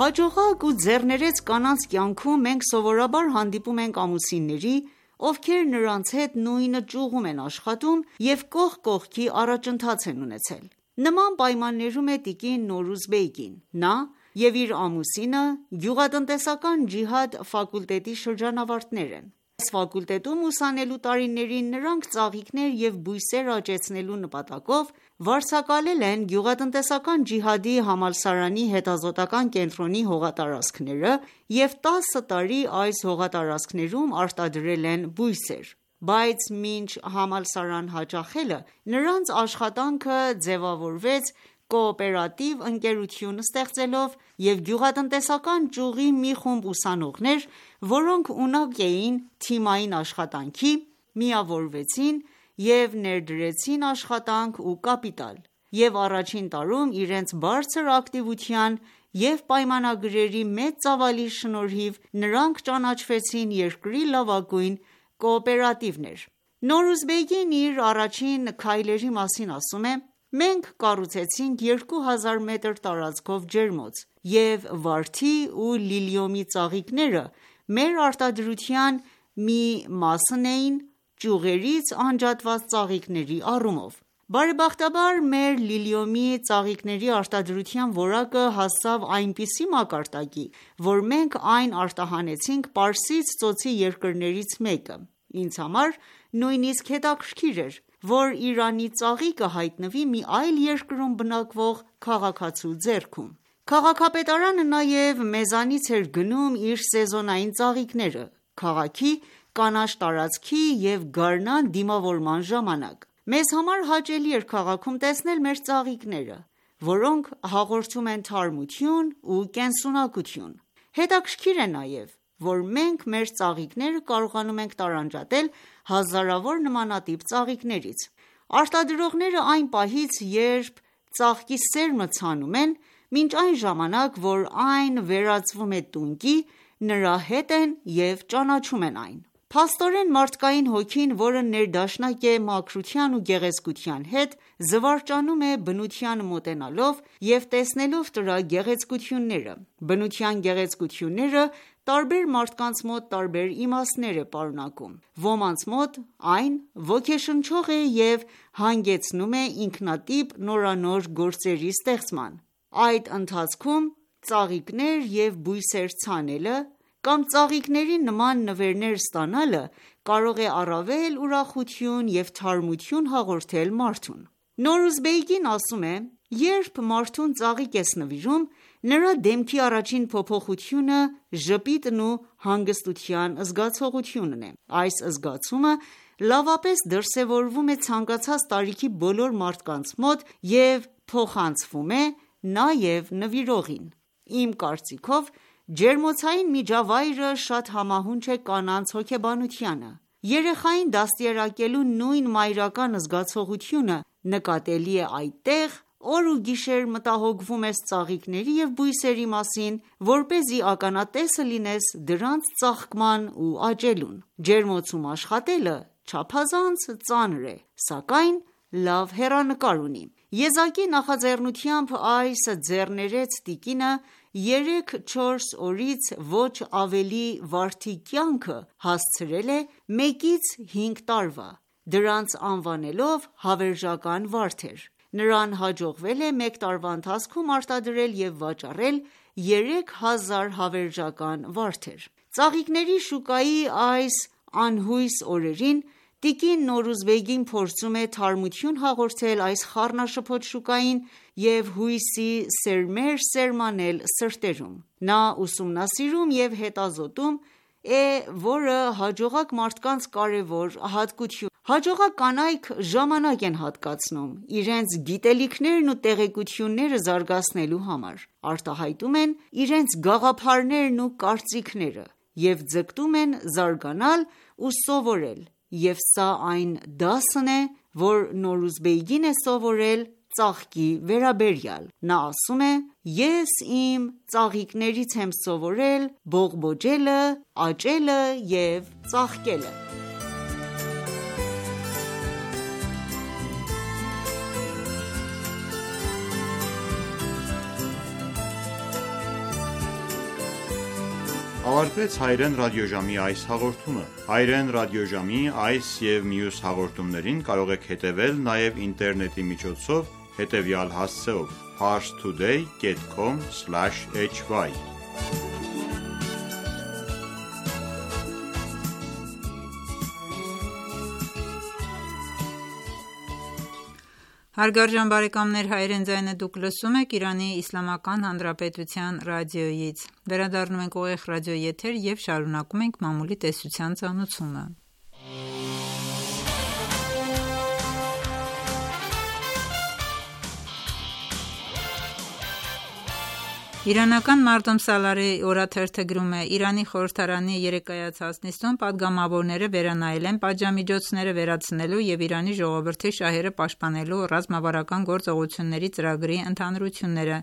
Հաջողակ ու ձեռներեց կանանց կյանքում մենք սովորաբար հանդիպում ենք ամուսինների, ովքեր նրանց հետ նույն ճյուղում են աշխատում և կողք կողքի առաջընթաց են ունեցել: Նման պայմաններում է տիկին Նորուզբեգին: Նա և իր ամուսինը գյուղատնտեսական ջիհադ ֆակուլտետի շրջանավարտներ են: Այս ֆակուլտետում ուսանելու տարիներին նրանք ծաղիկներ և բույսեր աճեցնելու նպատակով վարձակալել են գյուղատնտեսական ջիհադի համալսարանի հետազոտական կենտրոնի հողատարածքները և տասը տարի այս հողատարածքներում արտադրել են բույսեր: Բայց մինչ համալսարան հաճախելը նրանց աշխատանքը ձևավորվեց կոոպերատիվ ընկերություն ստեղծելով և գյուղատնտեսական ճյուղի մի խումբ ուսանողներ, որոնք ունակ էին թիմային աշխատանքի, միավորվեցին և ներդրեցին աշխատանք ու կապիտալ և առաջին տարում իրենց բարձր ակտիվության և պայմանագրերի մեծ ծավալի շնորհիվ նրանք ճանաչվեցին երկրի լավագույն կոոպերատիվներ: Նորուզբեգին իր առաջին քայլերի մասին ասում է. «Մենք կառուցեցինք երկու հազար մետր տարածքով ջերմոց և վարդի ու լիլիումի ծաղիկները մեր արտադրության մի մասն էին ճյուղերից անջատված ծաղիկների առումով: Բարեբախտաբար մեր լիլիումի ծաղիկների արտադրության որակը հասավ այնպիսի մակարդակի, որ մենք այն արտահանեցինք Պարսից ծոցի երկրներից մեկը: Ինձ համար նույնիսկ հետաքրքիր էր, որ Իրանի ծաղիկը հայտնվի մի այլ երկրում բնակվող քաղաքացու ձեռքում: Քաղաքապետարանը նաև մեզանից էր գնում իր սեզոնային ծաղիկները քաղաքի կանաչ տարածքի և գարնան դիմավորման ժամանակ: Մեզ համար հաճելի էր քաղաքում տեսնել մեր ծաղիկները, որոնք հաղորդում են թարմություն ու կենսունակություն: Հետաքրքիր է նաև, որ մենք մեր ծաղիկները կարողանում ենք տարանջատել հազարավոր նմանատիպ ծաղիկներից: Արտադրողները այն պահից, երբ ծաղկի սերմը ցանում են, մինչ այն ժամանակ, որ այն վերածվում է տունկի, նրա հետ են և ճանաչում են այն: Փաստորեն մարդկային հոգին, որը ներդաշնակ է մաքրության ու գեղեցկության հետ, զվարճանում է բնությանը մոտենալով և տեսնելով դրա գեղեցկությունները: Բնության գեղեցկությունները տարբեր մարդկանց մոտ տարբեր իմաստներ է պարունակում: Ոմանց մոտ այն ոգեշնչող է և հանգեցնում է ինքնատիպ նորանոր գործերի ստեղծման: Այդ ընթացքում ծաղիկներ և բույսեր ցանելը, կամ ծաղիկների նման նվերներ ստանալը կարող է առավել ուրախություն և թարմություն հաղորդել մարդուն: Նորուզ Բեյգին ասում է. «Երբ մարդուն ծաղիկ ես նվիրում, նրա դեմքի առաջին փոփոխությունը ժպիտն ու հանգստության զգացողությունն է: Այս զգացումը լավապես դրսևորվում է ցանկացած տարիքի բոլոր մարդկանց մոտ և փոխանցվում է նաև նվիրողին: Իմ կարծիքով, ջերմոցային միջավայրը շատ համահունչ է կանանց հոգեբանությանը: Երեխային դաստիարակելու նույն մայրական զգացողությունը նկատելի է այդտեղ, օր ու գիշեր մտահոգվում ես ծաղիկների և բույսերի մասին, որպեսզի ականատեսը լինես դրանց ծաղկման ու աճելուն: Ջերմոցում աշխատելը չափազանց ծանր է, սակայն լավ հեռանկար ունի: Եզակի նախաձեռնությամբ այս ձեռներեց տիկինը երեք-չորս օրից ոչ ավելի վարդի կյանքը հասցրել է մեկից հինգ տարվա, դրանց անվանելով հավերժական վարդեր: Նրան հաջողվել է մեկ տարվա ընթացքում արտադրել և վաճառել երեք հազար հավերժական վարդեր: Ծաղիկների շուկայի այս անհույս օրերին տիկին Նորուզբեգին փորձում է թարմություն հաղորդել այս խառնաշփոթ շուկային և հույսի սերմեր սերմանել սրտերում: Նա ուսումնասիրում և հետազոտում է, որը հաջողակ մարդկանց կարևոր հատկություն է: Հաջողակ կանայք ժամանակ են հատկացնում իրենց գիտելիքներն ու տեղեկությունները զարգացնելու համար, արտահայտում են իրենց գաղափարներն ու կարծիքները և ձգտում են զարգանալ ու սովորել և սա այն դասն է, որ Նորուզբեգին է սովորել ծաղկի վերաբերյալ: Նա ասում է. «Ես իմ ծաղիկներից եմ սովորել բողբոջելը, աճելը և ծաղկելը»: Ավարտվեց հայերեն ռադիոժամի այս հաղորդումը: Հայերեն ռադիոժամի այս և մյուս հաղորդումներին կարող եք հետևել նաև ինտերնետի միջոցով հետևյալ հասցեով. Parstoday dot com slash h y Հարգարժան բարեկամներ, հայերեն ձայնը դուք լսում եք Իրանի Իսլամական Հանրապետության ռադիոյից: Վերադառնում ենք ուղիղ ռադիոյի եթեր և շարունակում ենք մամուլի տեսության ծանոթումը: Իրանական Մարդոմ Սալարի օրաթերթը գրում է. «Իրանի խորհրդարանի երեկայացած նիստում պատգամավորները վերանայել են պատժամիջոցները վերացնելու և Իրանի ժողովրդի շահերը պաշտպանելու ռազմավարական գործողությունների ծրագրի ընդհանրությունները,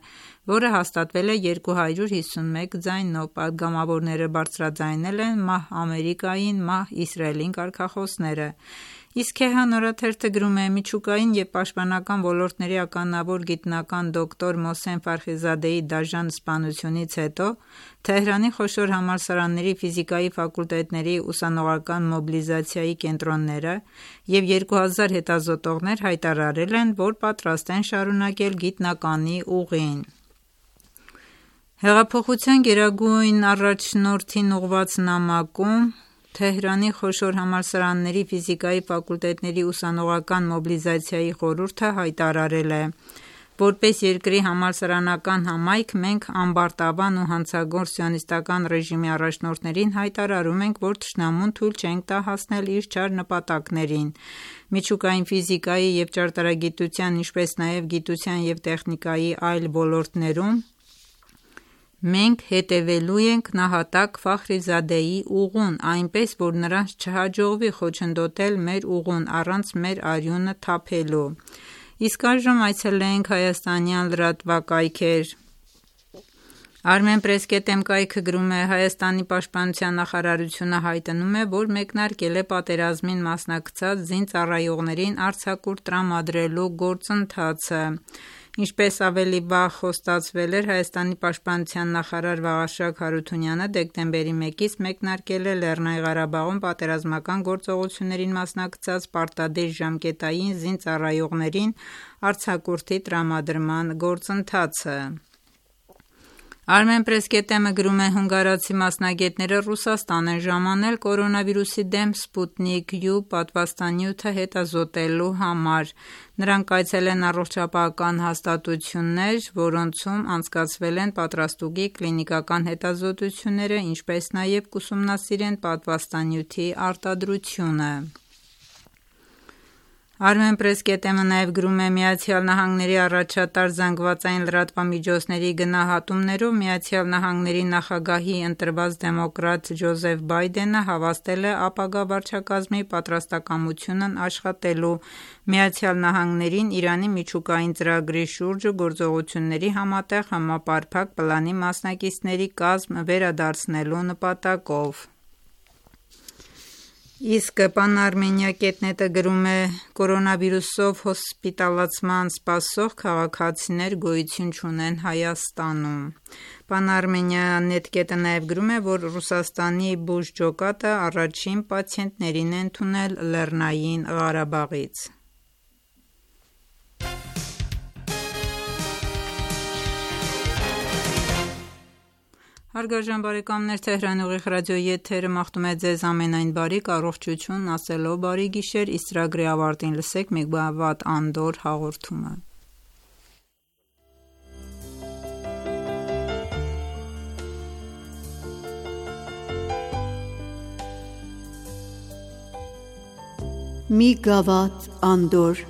որը հաստատվել է երկու հարյուր հիսունմեկ ձայնով: Պատգամավորները բարձրաձայնել են մահ Ամերիկային, մահ Իսրայելին կարգախոսները»: Իսկ Քեհան օրաթերթը գրում է. «Միջուկային և պաշտպանական ոլորտների ականավոր գիտնական դոկտոր Մոհսեն Ֆարխիզադեի դաժան սպանությունից հետո Թեհրանի խոշոր համալսարանների ֆիզիկայի ֆակուլտետների ուսանողական մոբիլիզացիայի կենտրոնները և երկու հազար հետազոտողներ հայտարարել են, որ պատրաստ են շարունակել գիտնականի ուղին»: Հեղափոխության գերագույն առաջնորդին ուղղված նամակում Թեհրանի խոշոր համալսարանների ֆիզիկայի ֆակուլտետների ուսանողական մոբիլիզացիայի խորհուրդը հայտարարել է. «Որպես երկրի համալսարանական համայնք մենք ամբարտավան ու հանցագործ սիոնիստական ռեժիմի առաջնորդներին հայտարարում ենք, որ թշնամուն թույլ չենք տա հասնել իր չար նպատակներին: Միջուկային ֆիզիկայի և ճարտարագիտության, ինչպես նաև գիտության և տեխնիկայի այլ ոլորտներում մենք հետևելու ենք նահատակ Ֆախրիզադեի ուղուն, այնպես որ նրանց չհաջողվի խոչընդոտել մեր ուղուն առանց մեր արյունը թափելու»: Իսկ այժմ այցելենք հայաստանյան լրատվակայքեր: Armenpress.am կայքը գրում է. «Հայաստանի պաշտպանության նախարարությունը հայտնում է, որ մեկնարկել է պատերազմին մասնակցած զինծառայողներին արձակուրդ տրամադրելու գործընթացը: Ինչպես ավելի վաղ խոստացվել էր, Հայաստանի պաշտպանության նախարար Վաղարշակ Հարությունյանը դեկտեմբերի մեկից մեկնարկել է Լեռնային Ղարաբաղում պատերազմական գործողություններին մասնակցած պարտադիր ժամկետային զինծառայողներին արձակուրդի տրամադրման գործընթացը: Armenpress.am-ը գրում է հունգարացի մասնագետները Ռուսաստան են ժամանել կորոնավիրուսի դեմ Sputnik U պատվաստանյութը հետազոտելու համար։ Նրանք այցել են առողջապահական հաստատություններ, որոնցում անցկացվել են պատրաստուկի կլինիկական հետազոտությունները, ինչպես նաև կուսումնասիրեն պատվաստանյութի արտադրությունը։ Armenpress.am-ը նաև գրում է ԱՄՆ-ի առաջատար զանգվածային լրատվամիջոցների գնահատումներով ԱՄՆ-ի նախագահի ընտրված դեմոկրատ Ջոզեֆ Բայդենը հավաստել է ապագա վարչակազմի պատրաստակամությունն աշխատելու ԱՄՆ-ին Իրանի միջուկային ծրագրի շուրջ գործողությունների համատեղ համապարփակ պլանի մասնակիցների կազմ վերադարձնելու նպատակով։ Իսկ Pan-Armenia.net-ը գրում է. կորոնավիրուսով հոսպիտալացման սպասող քաղաքացիներ գոյություն չունեն Հայաստանում։ Pan-Armenia.net-ը նաև գրում է, որ Ռուսաստանի բուժ ջոկատը առաջին պացիենտներին է ընդունել Լեռնային Ղարաբաղից։ Հարգարժան բարեկամներ, Թեհրանի ուղիղ ռադիոյի եթերը մաղթում է ձեզ ամենայն բարիք, առողջություն, ասելով բարի գիշեր, իսկ ծրագրի ավարտին լսեք Մեգավատ Անդոր հաղորդումը։ Մեգավատ Անդոր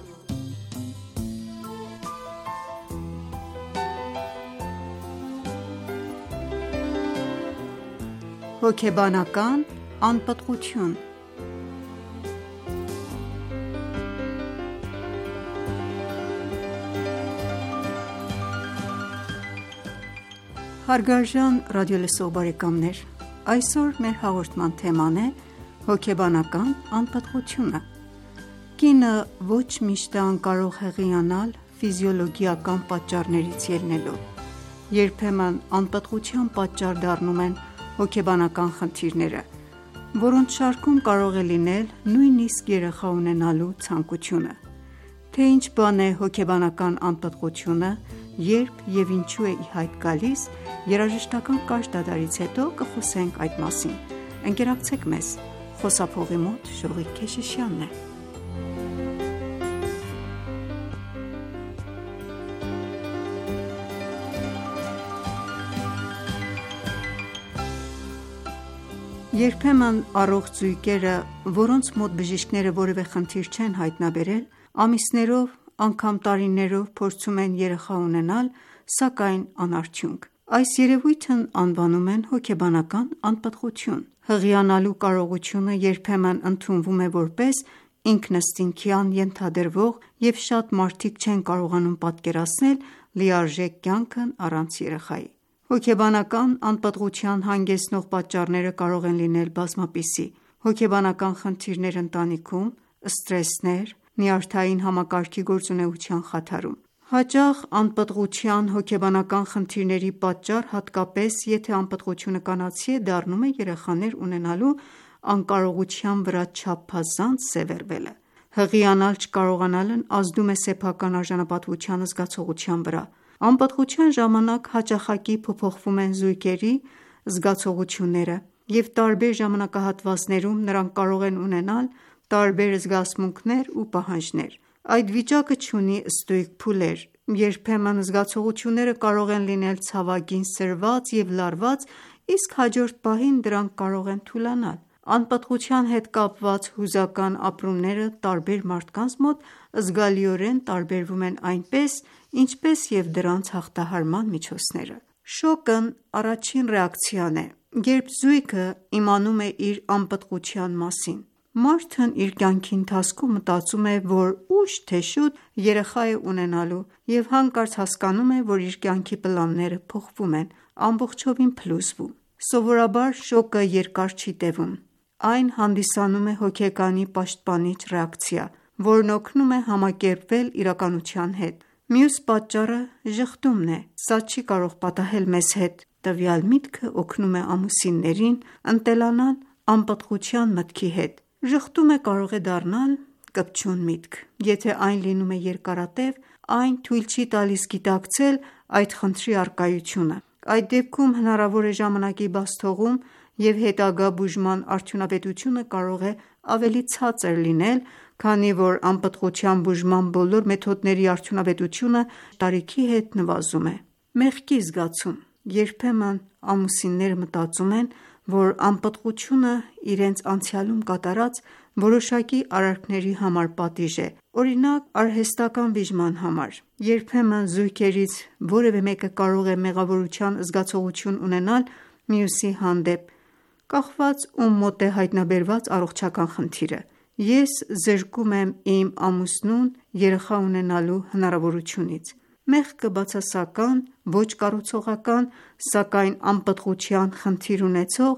Հոգեբանական անպտղություն։ Հարգարժան ռադիոլսող բարեկամներ, այսօր մեր հաղորդման թեման է հոգեբանական անպտղությունը։ Կինը ոչ միշտ է անկարող հեղիանալ ֆիզիոլոգիական պատճառներից ելնելով։ Երբեմն անպտղության պատճառ դառնում են հոգեբանական խնդիրները, որոնց շարքում կարող է լինել նույնիսկ երեխա ունենալու ցանկությունը։ Թե ինչ բան է հոգեբանական անպտղությունը, երբ և ինչու է ի հայտ գալիս, երաժշտական կարճ դադարից հետո կխոսենք այդ մասին։ Ընկերակցեք մեզ, խոսափողի մոտ Շողիկ Քեշիշյանն է։ Երբեմն առողջ զույգերը, որոնց մոտ բժիշկները որևէ խնդիր չեն հայտնաբերել, ամիսներով, անգամ տարիներով փորձում են երեխա ունենալ, սակայն անարդյունք։ Այս երևույթն անվանում են հոգեբանական անպտղություն։ Հղիանալու կարողությունը երբեմն ընդունվում է որպես ինքնըստինքյան ենթադրվող և շատ մարդիկ չեն կարողանում պատկերացնել լիարժեք կյանքն առանց երեխայի։ Հոգեբանական անպտղության հանգեցնող պատճառները կարող են լինել բազմապիսի՝ հոգեբանական խնդիրներ ընտանիքում, սթրեսներ, նյարդային համակարգի գործունեության խաթարում։ Հաճախ անպտղության հոգեբանական խնդիրների պատճառ, հատկապես եթե անպտղությունը կանացի է, դառնում է երեխաներ ունենալու անկարողության վրա չափազանց սևեռվելը։ Հղիանալ չկարողանալն ազդում է սեփական արժանապատվության զգացողության վրա։ Անպտղության ժամանակ հաճախակի փոփոխվում են զույգերի զգացողությունները, և տարբեր ժամանակահատվածներում նրանք կարող են ունենալ տարբեր զգացմունքներ ու պահանջներ։ Այդ վիճակը չունի ստույգ փուլեր։ Երբեմն զգացողությունները կարող են լինել ցավագին սրված և լարված, իսկ հաջորդ պահին դրանք կարող են թուլանալ։ Անպտղության հետ կապված հուզական ապրումները տարբեր մարդկանց մոտ զգալիորեն տարբերվում են այնպես, ինչպես և դրանց հաղթահարման միջոցները։ Շոկն առաջին ռեակցիան է, երբ զույգը իմանում է իր անպտղության մասին։ Մարդն իր կյանքի ընթացքում մտածում է, որ ուշ թե շուտ երեխա է ունենալու և հանկարծ հասկանում է, որ իր կյանքի պլանները փոխվում են, ամբողջովին փլուզվում։ Սովորաբար շոկը երկար չի տևում։ Այն հանդիսանում է հոգեկանի պաշտպանիչ ռեակցիա, որն օգնում է համակերպվել իրականության հետ։ Մյուս պատճառը ժխտումն է։ Սա չի կարող պատահել մեզ հետ։ Տվյալ միտքը օգնում է ամուսիններին ընտելանալ անպտղության մտքի հետ։ Ժխտումը կարող է դառնալ կպչուն միտք։ Եթե այն լինում է երկարատև, այն թույլ չի տալիս գիտակցել այդ խնդրի առկայությունը։ Այդ դեպքում հնարավոր է ժամանակի բաց թողում և հետագա բուժման արդյունավետությունը կարող է ավելի ցածր լինել, քանի որ անպտղության բուժման բոլոր մեթոդների արդյունավետությունը տարիքի հետ նվազում է։ Մեղքի զգացում: Երբեմն ամուսինները մտածում են, որ անպտղությունը իրենց անցյալում կատարած որոշակի արարքների համար պատիժ է, օրինակ՝ արհեստական վիժման համար: Երբեմն զույգերից որևէ մեկը կարող է մեղավորության զգացողություն ունենալ մյուսի հանդեպ, կախված ում մոտ է հայտնաբերված առողջական խնդիրը: Ես զրկում եմ իմ ամուսնուն երեխա ունենալու հնարավորությունից: Մեղքը բացասական, ոչ կառուցողական, սակայն անպտղության խնդիր ունեցող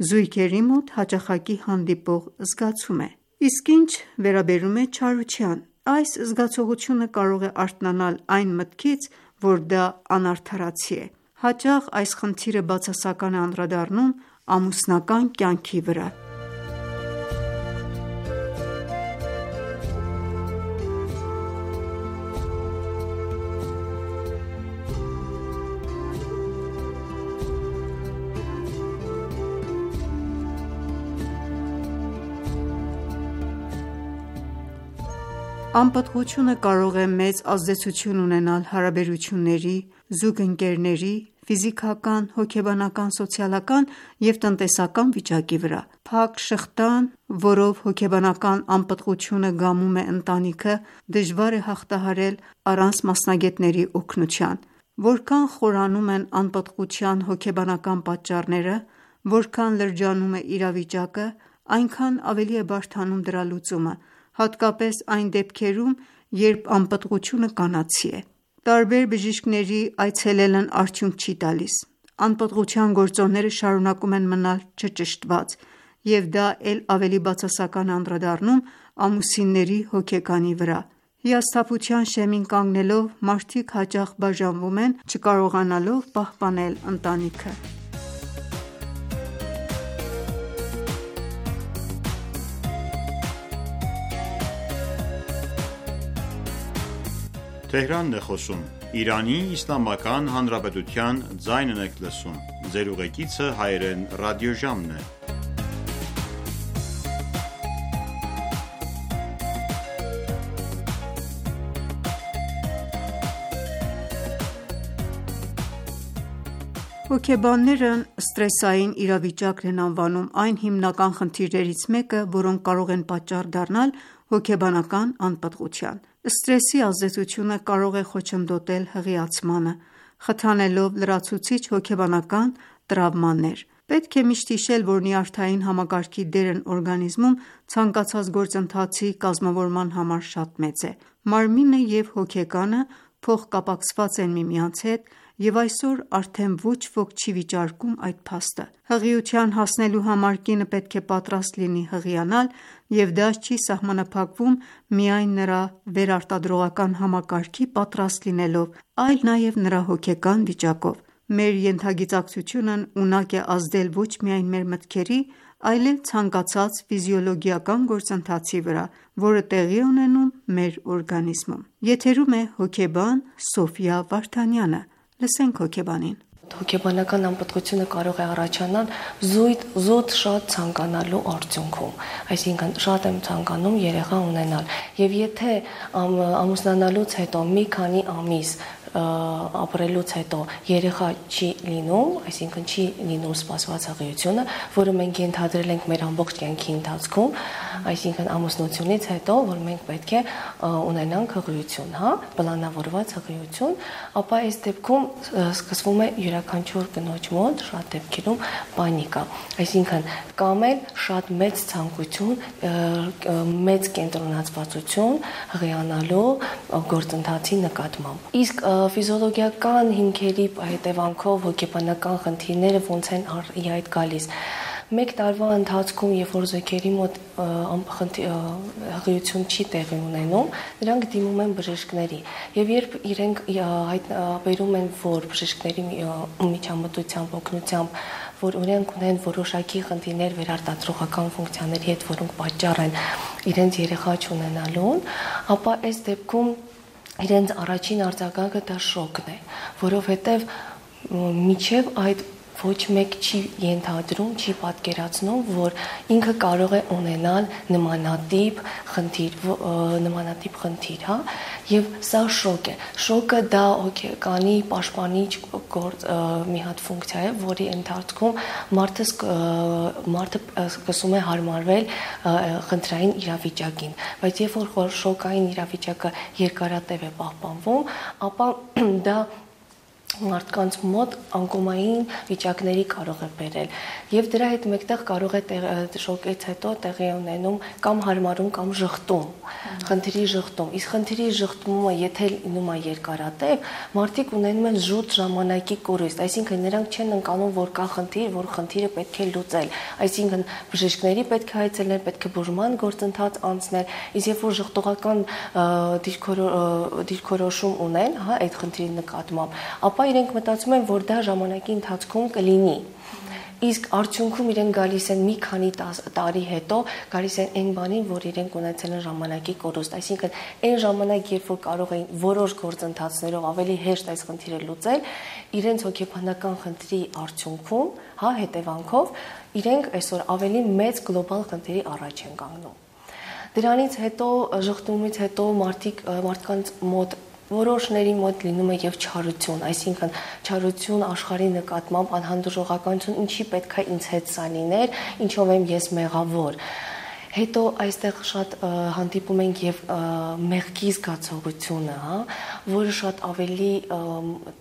զույգերի մոտ հաճախակի հանդիպող զգացում է: Իսկ ինչ վերաբերում է չարության, այս զգացողությունը կարող է արթնանալ այն մտքից, որ դա անարդարացի է: Հաճախ այս խնդիրը բացասական է անդրադառնում ամուսնական կյանքի վրա: Անպտղությունը կարող է մեծ ազդեցություն ունենալ հարաբերությունների, զուգընկերների, ֆիզիկական, հոգեբանական, սոցիալական և տնտեսական վիճակի վրա: Փակ շղթան, որով հոգեբանական անպտղությունը գամում է ընտանիքը, դժվար է հաղթահարել առանց մասնագետների օգնության: Որքան խորանում են անպտղության հոգեբանական պատճառները, որքան լրջանում է իրավիճակը, այնքան ավելի է բարդանում դրա լուծումը, հատկապես այն դեպքերում, երբ անպտղությունը կանացի է: Տարբեր բժիշկների այցելելն արդյունք չի տալիս: Անպտղության գործոնները շարունակում են մնալ չճշտված, և դա էլ ավելի բացասական է անդրադառնում ամուսինների հոգեկանի վրա: Հիասթափության շեմին կանգնելով, մարդիկ հաճախ բաժանվում են, չկարողանալով պահպանել ընտանիքը: Հոգեբաններն սթրեսային իրավիճակն են անվանում այն հիմնական խնդիրներից մեկը, որոնք կարող են պատճառ դառնալ հոգեբանական անպտղության: Սթրեսի ազդեցությունը կարող է խոչընդոտել հղիացմանը, խթանելով լրացուցիչ հոգեբանական տրավմաներ: Պետք է միշտ հիշել, որ նյարդային համակարգի դերն օրգանիզմում ցանկացած գործընթացի կազմավորման համար շատ մեծ է: Մարմինը և հոգեկանը փոխկապակցված են միմյանց հետ, և այսօր արդեն ոչ ոք չի վիճարկում այդ փաստը: Հղիության հասնելու համար կինը պետք է պատրաստ լինի հղիանալ, և դա չի սահմանափակվում միայն նրա վերարտադրողական համակարգի պատրաստ լինելով, այլ նաև նրա հոգեկան վիճակով: Մեր ենթագիտակցությունն ունակ է ազդել ոչ միայն մեր մտքերի, այլև ցանկացած ֆիզիոլոգիական գործընթացի վրա, որը տեղի է ունենում մեր օրգանիզմում: Եթերում է հոգեբան Սոֆյա Վարդանյանը: Լսենք հոգեբանին: Հոգեբանական անպտղությունը կարող է առաջանալ զուտ շատ ցանկանալու արդյունքում: Այսինքն շատ եմ ցանկանում երեխա ունենալ, և եթե ամուսնանալուց հետո մի քանի ամիս ապրելուց հետո երեխա չի լինում, այսինքն չի լինում սպասված հղիությունը, որը մենք ենթադրել ենք մեր ամբողջ կյանքի ընթացքում, այսինքն ամուսնությունից հետո, որ մենք պետք է ունենանք հղիություն, պլանավորված հղիություն, ապա այս դեպքում սկսվում է յուրաքանչյուր կնոջ մոտ շատ դեպքերում պանիկա: Այսինքն կամ էլ շատ մեծ ցանկություն, մեծ կենտրոնացվածություն հղիանալու գործընթացի նկատմամբ: Իսկ ֆիզիոլոգիական հիմքերի հետևանքով հոգեբանական խնդիրները ոնց են ի հայտ գալիս: Մեկ տարվա ընթացքում, երբ որ զույգերի մոտ հղիություն չի տեղի ունենում, նրանք դիմում են բժիշկների, և երբ իրենք բերում են, որ բժիշկների միջամտությամբ, օգնությամբ, որ իրենք ունեն որոշակի խնդիրներ վերարտադրողական ֆունկցիաների հետ, որոնք պատճառ են իրենց երեխա չունենալուն, ապա այս դեպքում իրենց առաջին արձագանքը դա շոկն է, որովհետև միջև այդ ոչ մեկ չի ենթադրում, չի պատկերացնում, որ ինքը կարող է ունենալ նմանատիպ խնդիր, նմանատիպ խնդիր, հա, եւ սա շոկ է։ Շոկը դա հոգեկանի պաշտպանիչ գործ մի հատ ֆունկցիա է, որի ընթացքում մարդը մարդը սկսում է հարմարվել խնդրային իրավիճակին, բայց երբ որ շոկային իրավիճակը երկարատև է պահպանվում, ապա դա մարդկանց մոտ անկոմային վիճակների կարող է բերել եւ դրա հետ մեկտեղ կարող է շոկից հետո տեղի ունենում կամ հարմարում կամ ժխտում, խնդրի ժխտում։ Իսկ խնդրի ժխտումը եթե լինում է երկարատև, մարդիկ ունենում են զուտ ժամանակի կորուստ, այսինքն նրանք չեն ընկալում, որ կա խնդիր, որ խնդիրը պետք է լուծել, այսինքն բժիշկների պետք է այցելել, պետք է բուժման գործընթաց անցնել, իսկ երբ որ ժխտողական դիրքորոշում ունեն, հա, այդ խնդրի նկատմամբ, ապա իրենք մտածում են, որ դա ժամանակի ընթացքում կլինի։ Իսկ արդյունքում իրենք գալիս են մի քանի տարի հետո, գալիս են այն բանին, որ իրենք ունեցել են ժամանակի կորուստ, այսինքն այն ժամանակ, երբ որ կարող էին որոշ գործընթացներով ավելի հեշտ այս խնդիրը լուծել, իրենց հոգեբանական խնդրի արդյունքում, հա, հետևանքով, իրենք այսօր ավելի մեծ գլոբալ խնդրի առաջ են կանգնում։ Դրանից հետո, ժխտումից հետո մարդիկ մարդկանց մոտ որոշների մոտ լինում է եւ չարություն, այսինքն չարություն աշխարհի նկատմամբ անհանդուրժողականություն, ինչի պետք է ինձ հետ սա լիներ, ինչով եմ ես մեղավոր։ Հետո այստեղ շատ հանդիպում ենք եւ մեղքի զգացողությունը, հա, որը շատ ավելի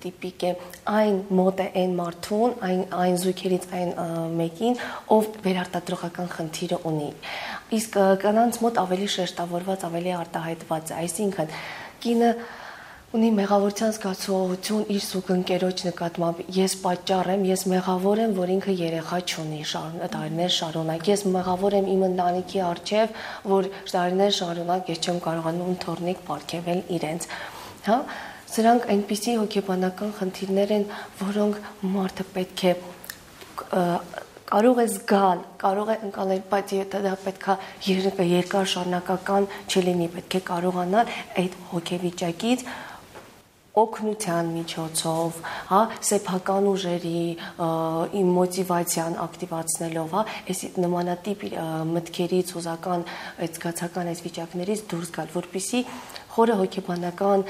տիպիկ է, այն մոտ է այն մարդուն, այն այն զույգերից այն մեկին, ով վերարտադրողական խնդիրը ունի։ Իսկ կանանց մոտ ավելի շեշտավորված, ավելի արտահայտված է, այսինքն կինը ունի մեղավորության զգացողություն իր զուգընկերոջ նկատմամբ, ես պատճառ եմ, ես մեղավոր եմ, որ ինքը երեխա չունի տարիներ շարունակ, ես մեղավոր եմ իմ ընտանիքի առջև, որ տարիներ շարունակ ես չեմ կարողանում թորնիկ պարգևել իրենց, հա, սրանք այնպիսի հոգեբանական խնդիրներ են, որոնք մարդը պետք է կարող է զգալ, կարող է ընկալել, բայց դա պետք է երկար շարունակական չլինի, պետք է կարողանալ այդ հոգեվիճակից օգնության միջոցով, հա, սեփական ուժերի մոտիվացիան ակտիվացնելով, հա, այս նմանատիպ մտքերից, հուզական, այդ զգացական այս վիճակներից դուրս գալ, որպեսզի խորը հոգեբանական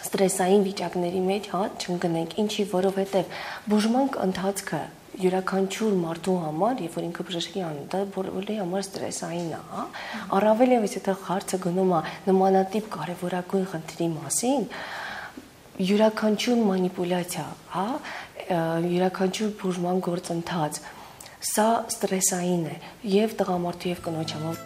ստրեսային վիճակների մեջ, հա, չընկնենք, ինչի, որովհետև բուժման ընթացքը յուրաքանչյուր մարդու համար, երբ որ ինքը բժշկի անում, դա բոլորի համար ստրեսային է, հա, առավել եւս եթե հարցը գնում է նմանատիպ կարևորագույն խնդրի մասին, յուրաքանչյուր մանիպուլյացիա, հա, յուրաքանչյուր բուժման գործընթաց, սա ստրեսային է եւ տղամարդու եւ կնոջ համար։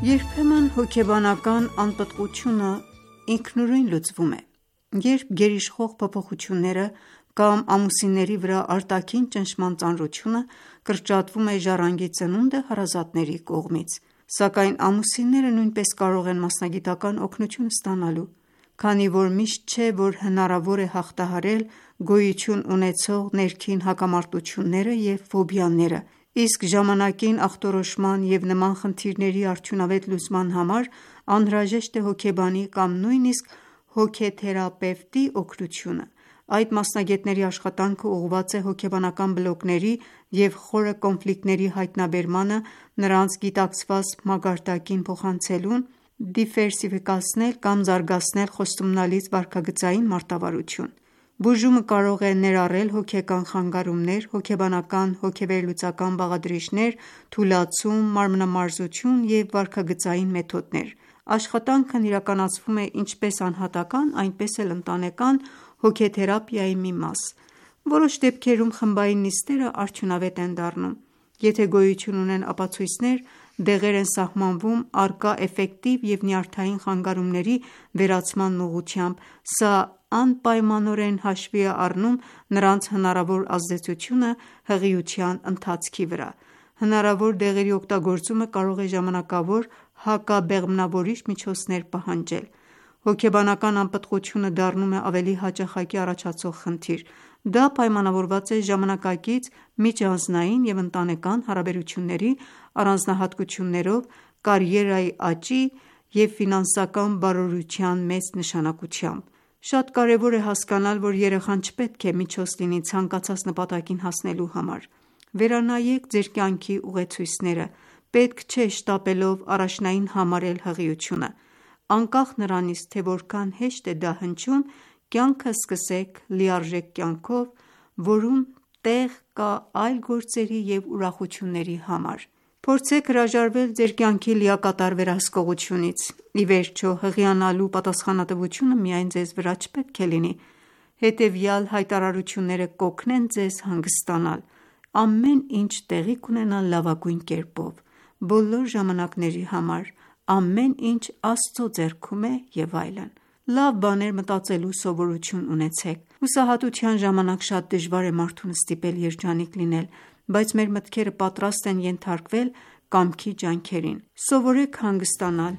Երբեմն հոգեբանական անպտղությունը ինքնուրույն լուծվում է, երբ գերիշխող փոփոխությունները կամ ամուսինների վրա արտաքին ճնշման ծանրությունը կրճատվում է ժառանգի ծնունդը հարազատների կողմից, սակայն ամուսինները նույնպես կարող են մասնագիտական օգնություն ստանալու, քանի որ միշտ չէ, որ հնարավոր է հաղթահարել գոյություն ունեցող ներքին հակամարտությունները և ֆոբիաները, իսկ ժամանակին ախտորոշման և նման խնդիրների արդյունավետ լուծման համար անհրաժեշտ է հոգեբանի կամ նույնիսկ հոգեթերապևտի օգնությունը։ Այդ մասնագետների աշխատանքը ուղղված է հոգեբանական բլոկների և խորը կոնֆլիկտների հայտնաբերմանը, նրանց գիտակցված մակարդակին փոխանցելուն, դիվերսիֆիկացնել կամ զարգացնել խոստումնալից վարքագծային մարտավարություն։ Բուժումը կարող է ներառել հոգեկան խանգարումներ, հոգեբանական հոգեվերլուծական բաղադրիչներ, թուլացում, մարմնամարզություն և վարքագծային մեթոդներ։ Աշխատանքն իրականացվում է ինչպես անհատական, այնպես էլ ընտանեկան հոգեթերապիայի մի մաս։ Որոշ դեպքերում խմբային նիստերը արդյունավետ են դառնում։ Եթե գոյություն ունեն ապացույցներ, դեղեր են սահմանվում առկա էֆեկտիվ և նյարդային խանգարումների վերացման ուղղությամբ, սա անպայմանորեն հաշվի է առնում նրանց հնարավոր ազդեցությունը հղիության ընթացքի վրա։ Հնարավոր դեղերի օգտագործումը կարող է ժամանակավոր հակաբեղմնավորիչ միջոցներ պահանջել։ Հոգեբանական անպտղությունը դառնում է ավելի հաճախակի առաջացող խնդիր: Դա պայմանավորված է ժամանակակից միջանձնային և ընտանեկան հարաբերությունների առանձնահատկություններով, կարիերայի աճի և ֆինանսական բարօրության մեծ նշանակությամբ: Շատ կարևոր է հասկանալ, որ երեխան չպետք է միջոց լինի ցանկացած նպատակին հասնելու համար: Վերանայեք ձեր կյանքի ուղեցույցները: Պետք չէ շտապելով առաջնային համարել հղիությունը: Անկախ նրանից, թե որքան հեշտ է դա հնչում, կյանքը սկսեք լիարժեք կյանքով, որում տեղ կա այլ գործերի և ուրախությունների համար: Փորձեք հրաժարվել ձեր կյանքի լիակատար վերահսկողությունից: Ի վերջո, հղիանալու պատասխանատվությունը միայն ձեզ վրա չպետք է լինի: Հետևյալ հայտարարությունները կօգնեն ձեզ հանգստանալ: Ամեն ինչ տեղի կունենա լավագույն կերպով: Բոլոր ժամանակների համար: Ամեն ինչ Աստծո ձեռքում է և այլն: Լավ բաներ մտածելու սովորություն ունեցեք: Հուսահատության ժամանակ շատ դժվար է մարդուն ստիպել երջանիկ լինել, բայց մեր մտքերը պատրաստ են ենթարկվել կամքի ջանքերին: Սովորեք հանգստանալ: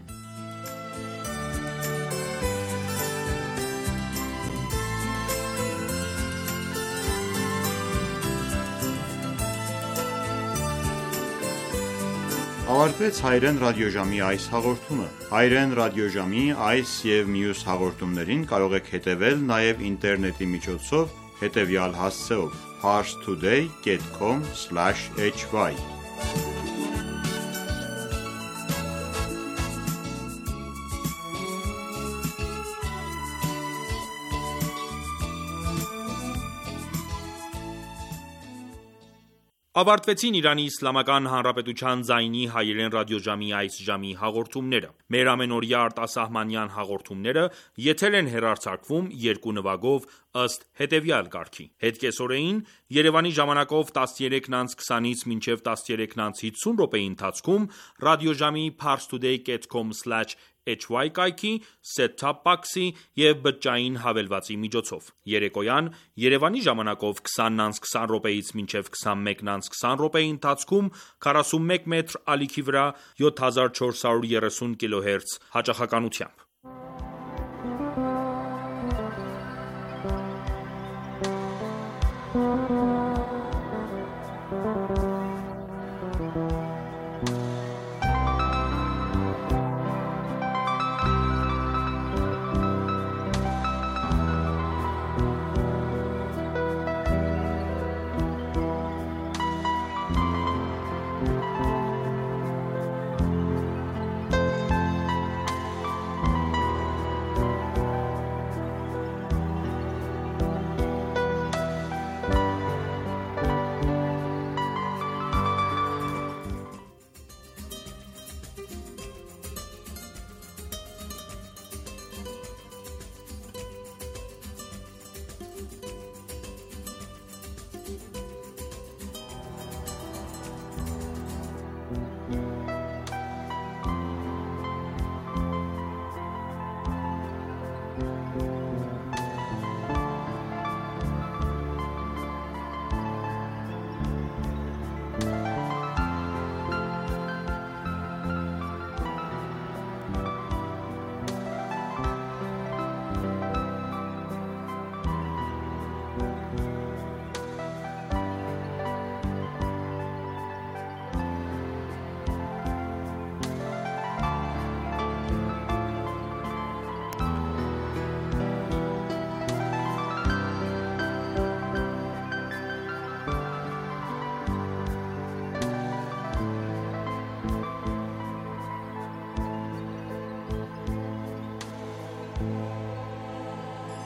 Ավարտվեց հայրեն ռադիոժամի այս հաղորդումը: Հայրեն ռադիոժամի այս և մյուս հաղորդումներին կարող եք հետևել նաև ինտերնետի միջոցով հետևյալ հասցեով՝ parstoday dot com slash h y Ավարտվեցին Իրանի Իսլամական Հանրապետության ձայնի հայերեն ռադիոժամի այս ժամի հաղորդումները: Մեր ամենօրյա արտասահմանյան հաղորդումները եթեր են հեռարձակվում երկու նվագով ըստ հետևյալ կարգի: Հետկեսօրեին Երևանի ժամանակով տասներեքն անց քսանից մինչև տասներեքն անց հիսուն րոպեի ընթացքում ռադիոժամի parstoday dot com slash h y կայքի, set-top box-ի և բջջային հավելվածի միջոցով: Երեկոյան Երևանի ժամանակով քսանն անց քսան րոպեից մինչև քսանմեկն անց քսան րոպեի ընթացքում քառասունմեկ մետր ալիքի վրա յոթ հազար չորս հարյուր երեսուն կիլոհերց հաճախականությամբ: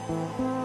Thank you.